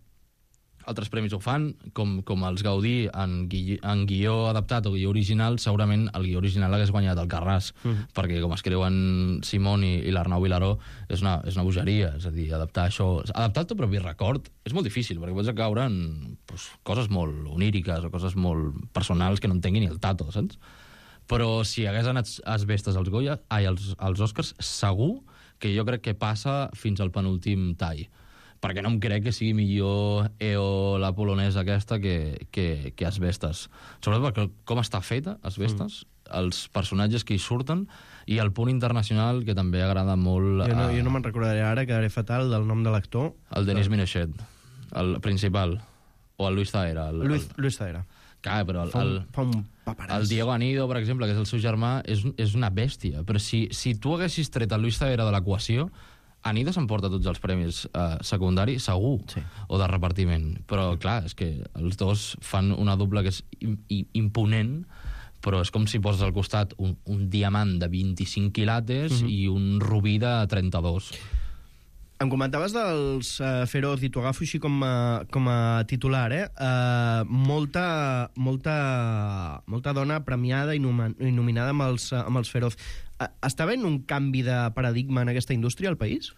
altres premis ho fan, com, com els Gaudí en, gui, en guió adaptat o guió original, segurament el guió original hagués guanyat el Carràs, mm. perquè com escriuen Simón i, i l'Arnau Vilaró, és una, és una bogeria, és a dir, adaptar això... Adaptar el teu propi record és molt difícil, perquè pots caure en pues, coses molt oníriques o coses molt personals que no entenguin ni el tato, saps? Però si hagués anat Asbestes als Goya, ai, als, als Oscars, segur que jo crec que passa fins al penúltim tall, perquè no em crec que sigui millor E O, la polonesa aquesta, que, que, que Asbestes. Sobretot perquè com està feta, Asbestes, mm. els personatges que hi surten, i el punt internacional, que també agrada molt... Jo no, a... jo no me'n recordaré ara, quedaré fatal, del nom de l'actor. El Denis Minochet, el principal. O el Luis Zaera. El, Luis, el... Luis Zaera. Clar, però el, fa un, el, fa un paperàs. El Diego Anido, per exemple, que és el seu germà, és, és una bèstia. Però si, si tu haguessis tret el Luis Zaera de l'equació, Anido s'emporta tots els premis eh, secundaris, segur, sí. o de repartiment. Però, clar, és que els dos fan una dupla que és imponent, però és com si poses al costat un, un diamant de vint-i-cinc quilates mm-hmm. i un rubí de trenta-dos. Em comentaves dels uh, Feroz, i t'ho agafo així com a, com a titular, eh? Uh, molta, molta, molta dona premiada i, nom i nominada amb els, uh, amb els Feroz. Uh, està havent un canvi de paradigma en aquesta indústria al país?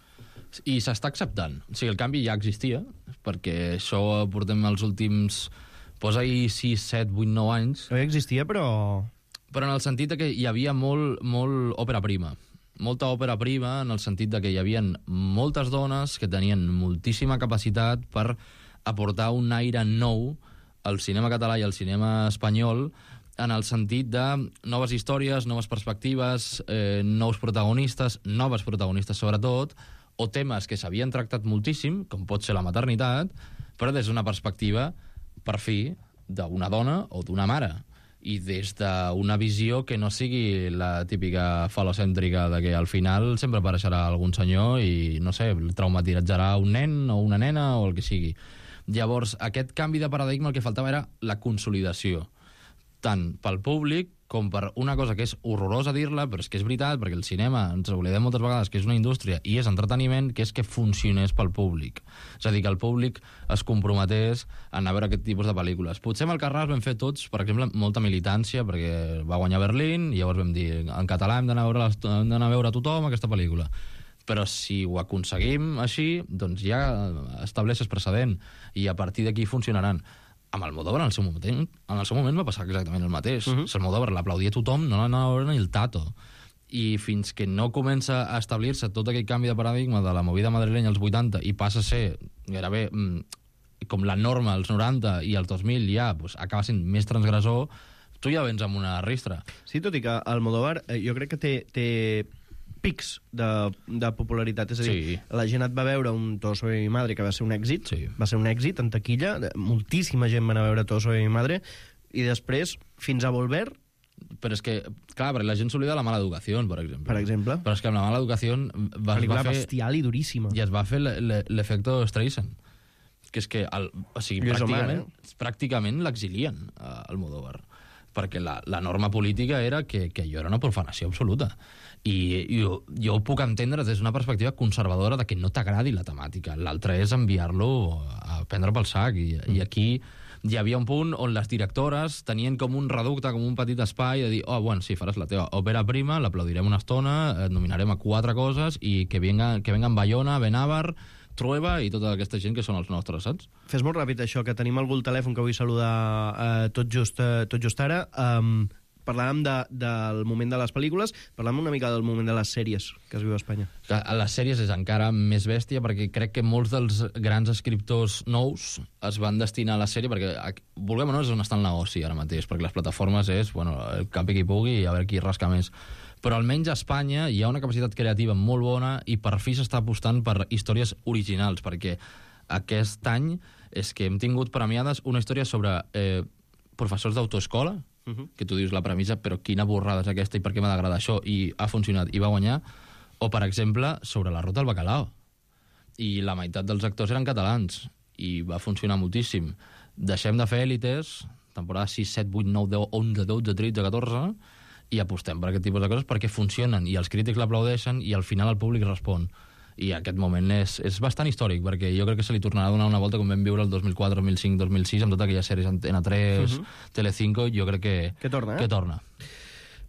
I s'està acceptant. O sigui, el canvi ja existia, perquè això portem els últims... Posa-hi sis, set, vuit, nou anys. No ja existia, però... Però en el sentit que hi havia molt, molt òpera prima. Molta òpera prima en el sentit de que hi havia moltes dones que tenien moltíssima capacitat per aportar un aire nou al cinema català i al cinema espanyol, en el sentit de noves històries, noves perspectives, eh, nous protagonistes, noves protagonistes sobretot, o temes que s'havien tractat moltíssim, com pot ser la maternitat, però des d'una perspectiva, per fi, d'una dona o d'una mare, i des d'una visió que no sigui la típica falocèntrica de que al final sempre apareixerà algun senyor i, no sé, traumatitzarà un nen o una nena o el que sigui. Llavors, aquest canvi de paradigma el que faltava era la consolidació, tant pel públic com per una cosa que és horrorosa dir-la, però és que és veritat, perquè el cinema, ens oblidem moltes vegades que és una indústria i és entreteniment, que és que funcionés pel públic. És a dir, que el públic es comprometés a anar a veure aquest tipus de pel·lícules. Potser amb el Carràs vam fer tots, per exemple, molta militància, perquè va guanyar Berlín, i llavors vam dir, en català hem d'anar a veure, hem d'anar a veure tothom aquesta pel·lícula. Però si ho aconseguim així, doncs ja estableixes precedent, i a partir d'aquí funcionaran. Amb Almodóvar, en el seu moment, en el seu moment va passar exactament el mateix. Uh -huh. Almodóvar l'aplaudia tothom, no l'anava a veure ni el tato. I fins que no comença a establir-se tot aquell canvi de paradigma de la movida madrilenya als vuitanta i passa a ser gairebé mm, com la norma als noranta i als dos mil ja pues, acaba sent més transgressor, tu ja vens amb una ristra. Sí, tot i que Almodóvar eh, jo crec que té, té pics de, de popularitat. És a dir, sí. La gent et va veure un Todo sobre mi madre, que va ser un èxit, sí. va ser un èxit en taquilla, moltíssima gent va anar a veure Todo sobre mi madre, i després, fins a Volver... Però és que, clar, perquè la gent s'oblida de La mala educació, per exemple. Per exemple. Però és que amb La mala educació va, es va fer... bestial i duríssima. I es va fer l'efecte Streisand. Que és que, el, o sigui, Lluís pràcticament, Omar, eh? pràcticament l'exilien a Almodóvar. Perquè la, la norma política era que, que allò era una profanació absoluta. I jo, jo ho puc entendre des d'una perspectiva conservadora de que no t'agradi la temàtica. L'altre és enviar-lo a prendre pel sac. I, mm. i aquí hi havia un punt on les directores tenien com un reducte, com un petit espai de dir, oh, bueno, sí, faràs la teva òpera prima, l'aplaudirem una estona, et nominarem a quatre coses i que venga, que vengan Bayona, Benavar, Trueba i tota aquesta gent que són els nostres, saps? Fes molt ràpid això, que tenim algú al telèfon que vull saludar eh, tot, just, eh, tot just ara. Um, parlàvem de, del moment de les pel·lícules, parlàvem una mica del moment de les sèries que es viu a Espanya. A les sèries és encara més bèstia, perquè crec que molts dels grans escriptors nous es van destinar a la sèrie, perquè, vulguem o no, és on està el negoci ara mateix, perquè les plataformes és, bueno, el capi qui pugui i a veure qui rasca més. Però almenys a Espanya hi ha una capacitat creativa molt bona i per fi s'està apostant per històries originals, perquè aquest any és que hem tingut premiades una història sobre eh, professors d'autoescola, uh -huh. que tu dius la premissa, però quina borrada és aquesta i per què m'ha d'agradar això, i ha funcionat i va guanyar, o per exemple sobre la ruta del bacalao, i la meitat dels actors eren catalans i va funcionar moltíssim. Deixem de fer èlites, temporada sis, set, vuit, nou, deu, onze, dotze, tretze, catorze, i apostem per aquest tipus de coses perquè funcionen i els crítics l'aplaudeixen i al final el públic respon. I aquest moment és, és bastant històric, perquè jo crec que se li tornarà a donar una volta com vam viure el dos mil quatre, dos mil cinc, dos mil sis, amb totes aquelles sèries Antena tres, uh -huh. Telecinco, jo crec que... Que torna, eh? Que torna.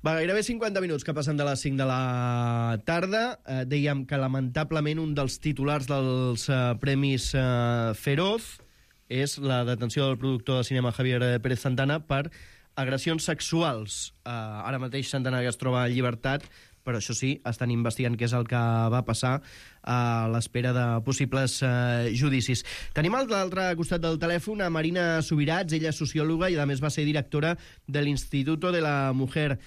Va, gairebé cinquanta minuts que passen de les cinc de la tarda. Eh, dèiem que, lamentablement, un dels titulars dels eh, Premis eh, Feroz és la detenció del productor de cinema Javier Pérez Santana per agressions sexuals. Eh, ara mateix Santana es troba en llibertat, però això sí, estan investigant què és el que va passar a l'espera de possibles eh, judicis. Tenim a l'altre costat del telèfon a Marina Subirats, ella és sociòloga i a més va ser directora de l'Instituto de la Mujer.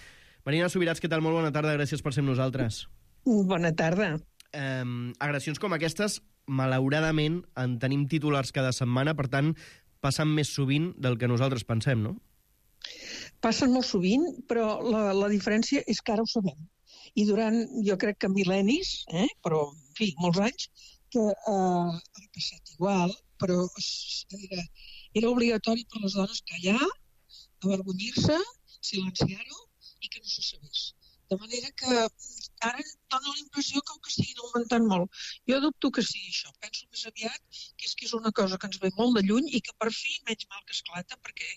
Marina Subirats, què tal? Molt bona tarda, gràcies per ser amb nosaltres. Bona tarda. Eh, agressions com aquestes, malauradament, en tenim titulars cada setmana, per tant, passen més sovint del que nosaltres pensem, no? Passen molt sovint, però la, la diferència és que ara ho sabem. I durant, jo crec que mil·lennis, eh, però, en fi, molts anys, que eh, ha passat igual, però era, era obligatori per les dones callar, avergonyir-se, silenciar-ho i que no se sabés. De manera que ara dona la impressió que ho estiguin augmentant molt. Jo dubto que sigui això. Penso més aviat que és que és una cosa que ens ve molt de lluny i que per fi menys mal que esclata perquè,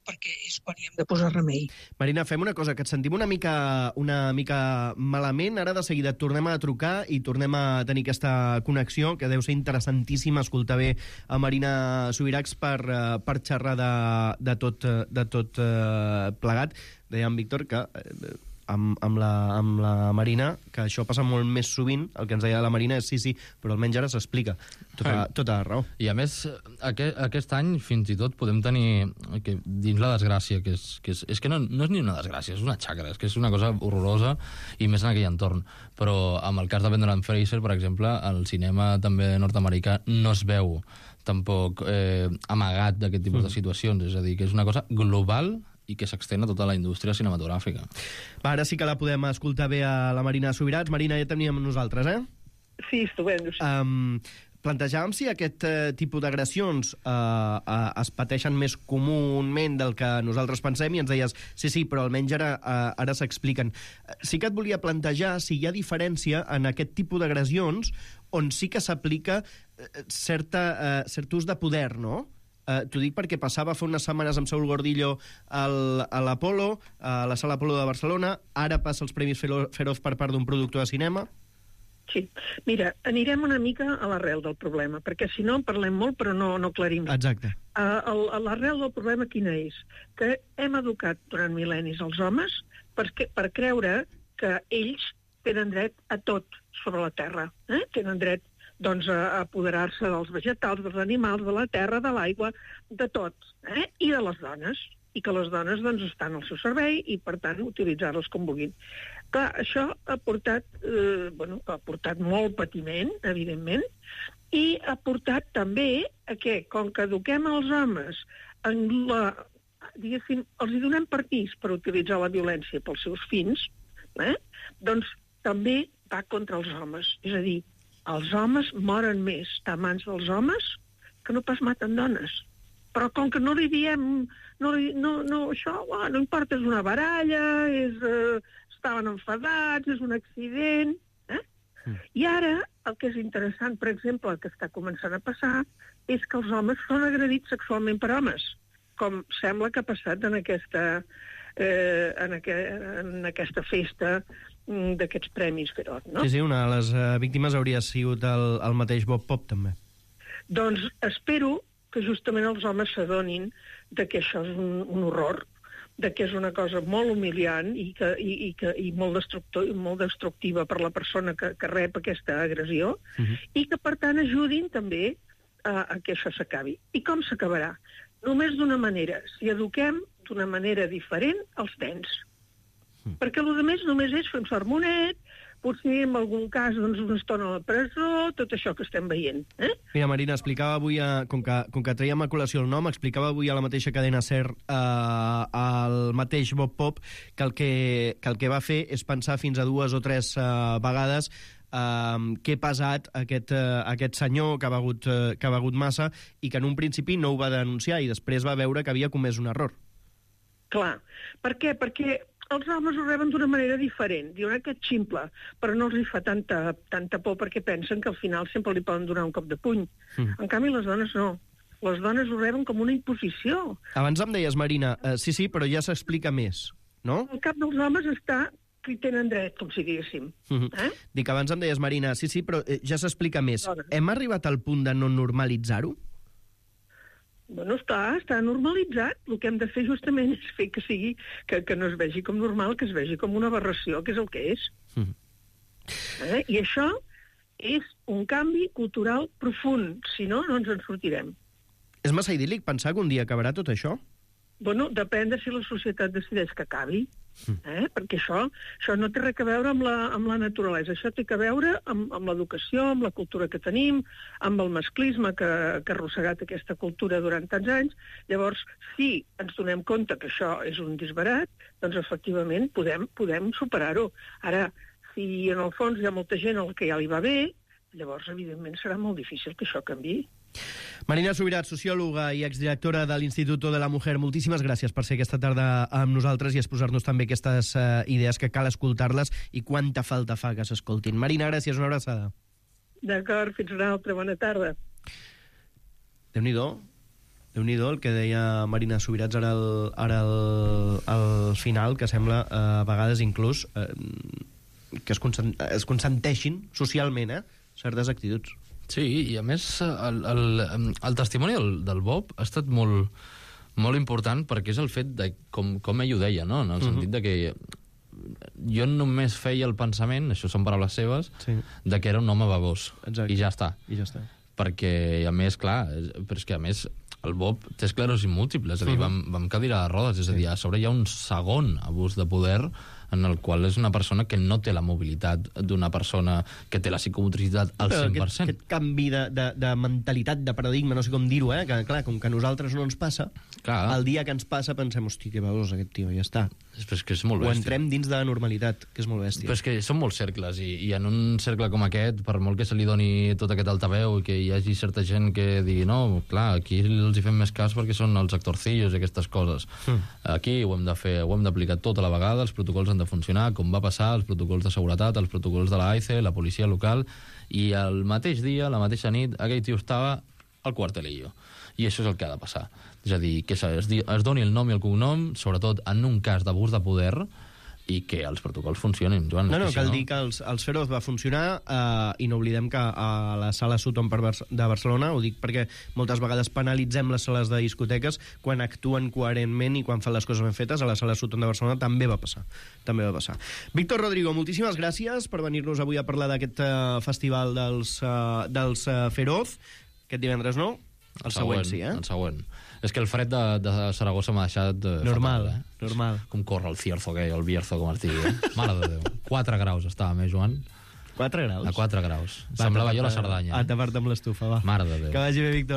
perquè és quan hi hem de posar remei. Marina, fem una cosa, que et sentim una mica, una mica malament. Ara de seguida et tornem a trucar i tornem a tenir aquesta connexió, que deu ser interessantíssima escoltar bé a Marina Subirats per, per xerrar de, de tot, de tot eh, plegat. Deia en Víctor que... Eh, Amb, amb, la, amb la Marina, que això passa molt més sovint, el que ens deia la Marina és sí, sí, però almenys ara s'explica. Tota, tota la raó. I a més, aquest, aquest any fins i tot podem tenir, que dins la desgràcia, que és que, és, és que no, no és ni una desgràcia, és una xacra, és que és una cosa horrorosa, i més en aquell entorn. Però amb el cas de Brendan Fraser, per exemple, el cinema també nord-americà no es veu tampoc eh, amagat d'aquest tipus mm. de situacions, és a dir, que és una cosa global i que s'extén a tota la indústria cinematogràfica. Va, ara sí que la podem escoltar bé a la Marina Subirats. Marina, ja teníem nosaltres, eh? Sí, estupendo. Sí. Um, plantejàvem si aquest eh, tipus d'agressions eh, eh, es pateixen més comúment del que nosaltres pensem, i ens deies, sí, sí, però almenys ara, eh, ara s'expliquen. Sí que et volia plantejar si hi ha diferència en aquest tipus d'agressions on sí que s'aplica eh, certa, eh, cert ús de poder, no? Uh, T'ho dic perquè passava fa unes setmanes amb Saúl Gordillo al, a l'Apolo, a la sala Apolo de Barcelona, ara passa els Premis Feroz per part d'un productor de cinema. Sí. Mira, anirem una mica a l'arrel del problema, perquè si no en parlem molt però no, no aclarim. Exacte. Uh, el, l'arrel del problema quina és? Que hem educat durant mil·lennis els homes per, per creure que ells tenen dret a tot sobre la Terra. Eh? Tenen dret doncs, a apoderar-se dels vegetals, dels animals, de la terra, de l'aigua, de tot, eh? I de les dones, i que les dones doncs, estan al seu servei i, per tant, utilitzar-les com vulguin. Clar, això ha portat, eh, bueno, ha portat molt patiment, evidentment, i ha portat també a que, com que eduquem els homes en la, diguéssim, els hi donem permís per utilitzar la violència pels seus fins, eh? Doncs també va contra els homes, és a dir, els homes moren més a mans dels homes que no pas maten dones. Però com que no li diem, no, no, no això, oh, no importa, és una baralla, és, eh, estaven enfadats, és un accident. Eh? Mm. I ara, el que és interessant, per exemple, el que està començant a passar, és que els homes són agredits sexualment per homes, com sembla que ha passat en aquesta, eh, en, aqu en aquesta festa d'aquests premis Feroz, no? Sí, sí, una de les uh, víctimes hauria sigut el, el mateix Bob Pop, també. Doncs espero que justament els homes s'adonin de que això és un, un horror, de que és una cosa molt humiliant i, que, i, i, que, i molt, destructor, molt destructiva per la persona que, que rep aquesta agressió, uh-huh. i que, per tant, ajudin també a, a que això s'acabi. I com s'acabarà? Només d'una manera. Si eduquem d'una manera diferent als nens. Perquè el que més només és fer un sermonet, potser en algun cas doncs, una estona a la presó, tot això que estem veient. Eh? Mira, Marina, explicava avui, a, com, que, com que traiem a col·lació el nom, explicava avui a la mateixa cadena SER eh, el mateix Bob Pop que el que, que el que va fer és pensar fins a dues o tres eh, vegades eh, què ha pesat aquest, eh, aquest senyor que ha, begut, eh, que ha begut massa i que en un principi no ho va denunciar i després va veure que havia comès un error. Clar. Per què? Perquè els homes ho reben d'una manera diferent. Diuen que és ximple, però no els hi fa tanta, tanta por perquè pensen que al final sempre li poden donar un cop de puny. Mm. En canvi, les dones no. Les dones ho reben com una imposició. Abans em deies, Marina, eh, sí, sí, però ja s'explica més, no? El cap dels homes està que hi tenen dret, com si diguéssim. Mm-hmm. eh? Dic, abans em deies, Marina, sí, sí, però eh, ja s'explica més. Dones. Hem arribat al punt de no normalitzar-ho? Bueno, està, està normalitzat. El que hem de fer justament és fer que sigui, que, que no es vegi com normal, que es vegi com una aberració, que és el que és. Mm. Eh? I això és un canvi cultural profund. Si no, no ens en sortirem. És massa idíl·lic pensar que un dia acabarà tot això? Bueno, depèn de si la societat decideix que acabi. Eh? Perquè això, això no té res a veure amb la, amb la naturalesa, això té a veure amb, amb l'educació, amb la cultura que tenim, amb el masclisme que, que ha arrossegat aquesta cultura durant tants anys. Llavors, si ens donem compte que això és un disbarat, doncs efectivament podem, podem superar-ho. Ara, si en el fons hi ha molta gent al que ja li va bé, llavors evidentment serà molt difícil que això canviï. Marina Subirat, sociòloga i exdirectora de l'Instituto de la Mujer, moltíssimes gràcies per ser aquesta tarda amb nosaltres i exposar-nos també aquestes uh, idees que cal escoltar-les i quanta falta fa que s'escoltin. Marina, gràcies, una abraçada. D'acord, fins una altra, bona tarda. Déu-n'hi-do, Déu-n'hi-do el que deia Marina Subirats ara al, ara al, al final, que sembla uh, a vegades inclús uh, que es, consent, es consenteixin socialment eh, certes actituds. Sí, i a més el, el, el testimoni del, del Bob ha estat molt, molt important perquè és el fet de, com, com ell ho deia, no? En el uh-huh. sentit de que jo només feia el pensament, això són paraules seves, sí. de que era un home babós. Exacte. I ja està. I ja està. Perquè, a més, clar, però és que a més el Bob té esclerosi múltiple, és a dir, uh-huh. vam, vam cadira de rodes, és a dir, a sobre hi ha un segon abús de poder en el qual és una persona que no té la mobilitat d'una persona que té la psicomotricitat al Però cent per cent. Aquest, aquest canvi de, de, de mentalitat, de paradigma, no sé com dir-ho, eh? que clar, com que a nosaltres no ens passa, Clar. el dia que ens passa pensem, hosti, que veus aquest tio, ja està. És que és molt Ho bèstia. entrem dins de la normalitat, que és molt bèstia. Però és que són molts cercles, i, i en un cercle com aquest, per molt que se li doni tot aquest altaveu i que hi hagi certa gent que digui no, clar, aquí els hi fem més cas perquè són els actorcillos i aquestes coses. Mm. Aquí ho hem de fer, ho hem d'aplicar tota la vegada, els protocols han de funcionar, com va passar, els protocols de seguretat, els protocols de la A I C E, la policia local, i el mateix dia, la mateixa nit, aquell tio estava al cuartelillo. I això és el que ha de passar. És a dir, que es, es doni el nom i el cognom, sobretot en un cas d'abús de poder, i que els protocols funcionin, Joan. No, no, que si cal no... dir que els, els Feroz va funcionar eh, i no oblidem que a la sala Sutton per Bar de Barcelona, ho dic perquè moltes vegades penalitzem les sales de discoteques quan actuen coherentment i quan fan les coses ben fetes, a la sala Sutton de Barcelona també va passar. També va passar. Víctor Rodrigo, moltíssimes gràcies per venir-nos avui a parlar d'aquest uh, festival dels, uh, dels uh, Feroz. Aquest divendres no? El, el següent, següent sí, eh? El següent. És que el fred de, de Saragossa m'ha deixat... Eh, normal, fatal, eh? normal. Com corre el cierzo aquell, el bierzo, com es digui. Eh? Mare de Déu. quatre graus estàvem, eh, Joan? quatre graus? A quatre graus. Va, Semblava jo la a Cerdanya. A Eh? tapar-te amb l'estufa, va. Mare de Déu. Que vagi bé, Víctor.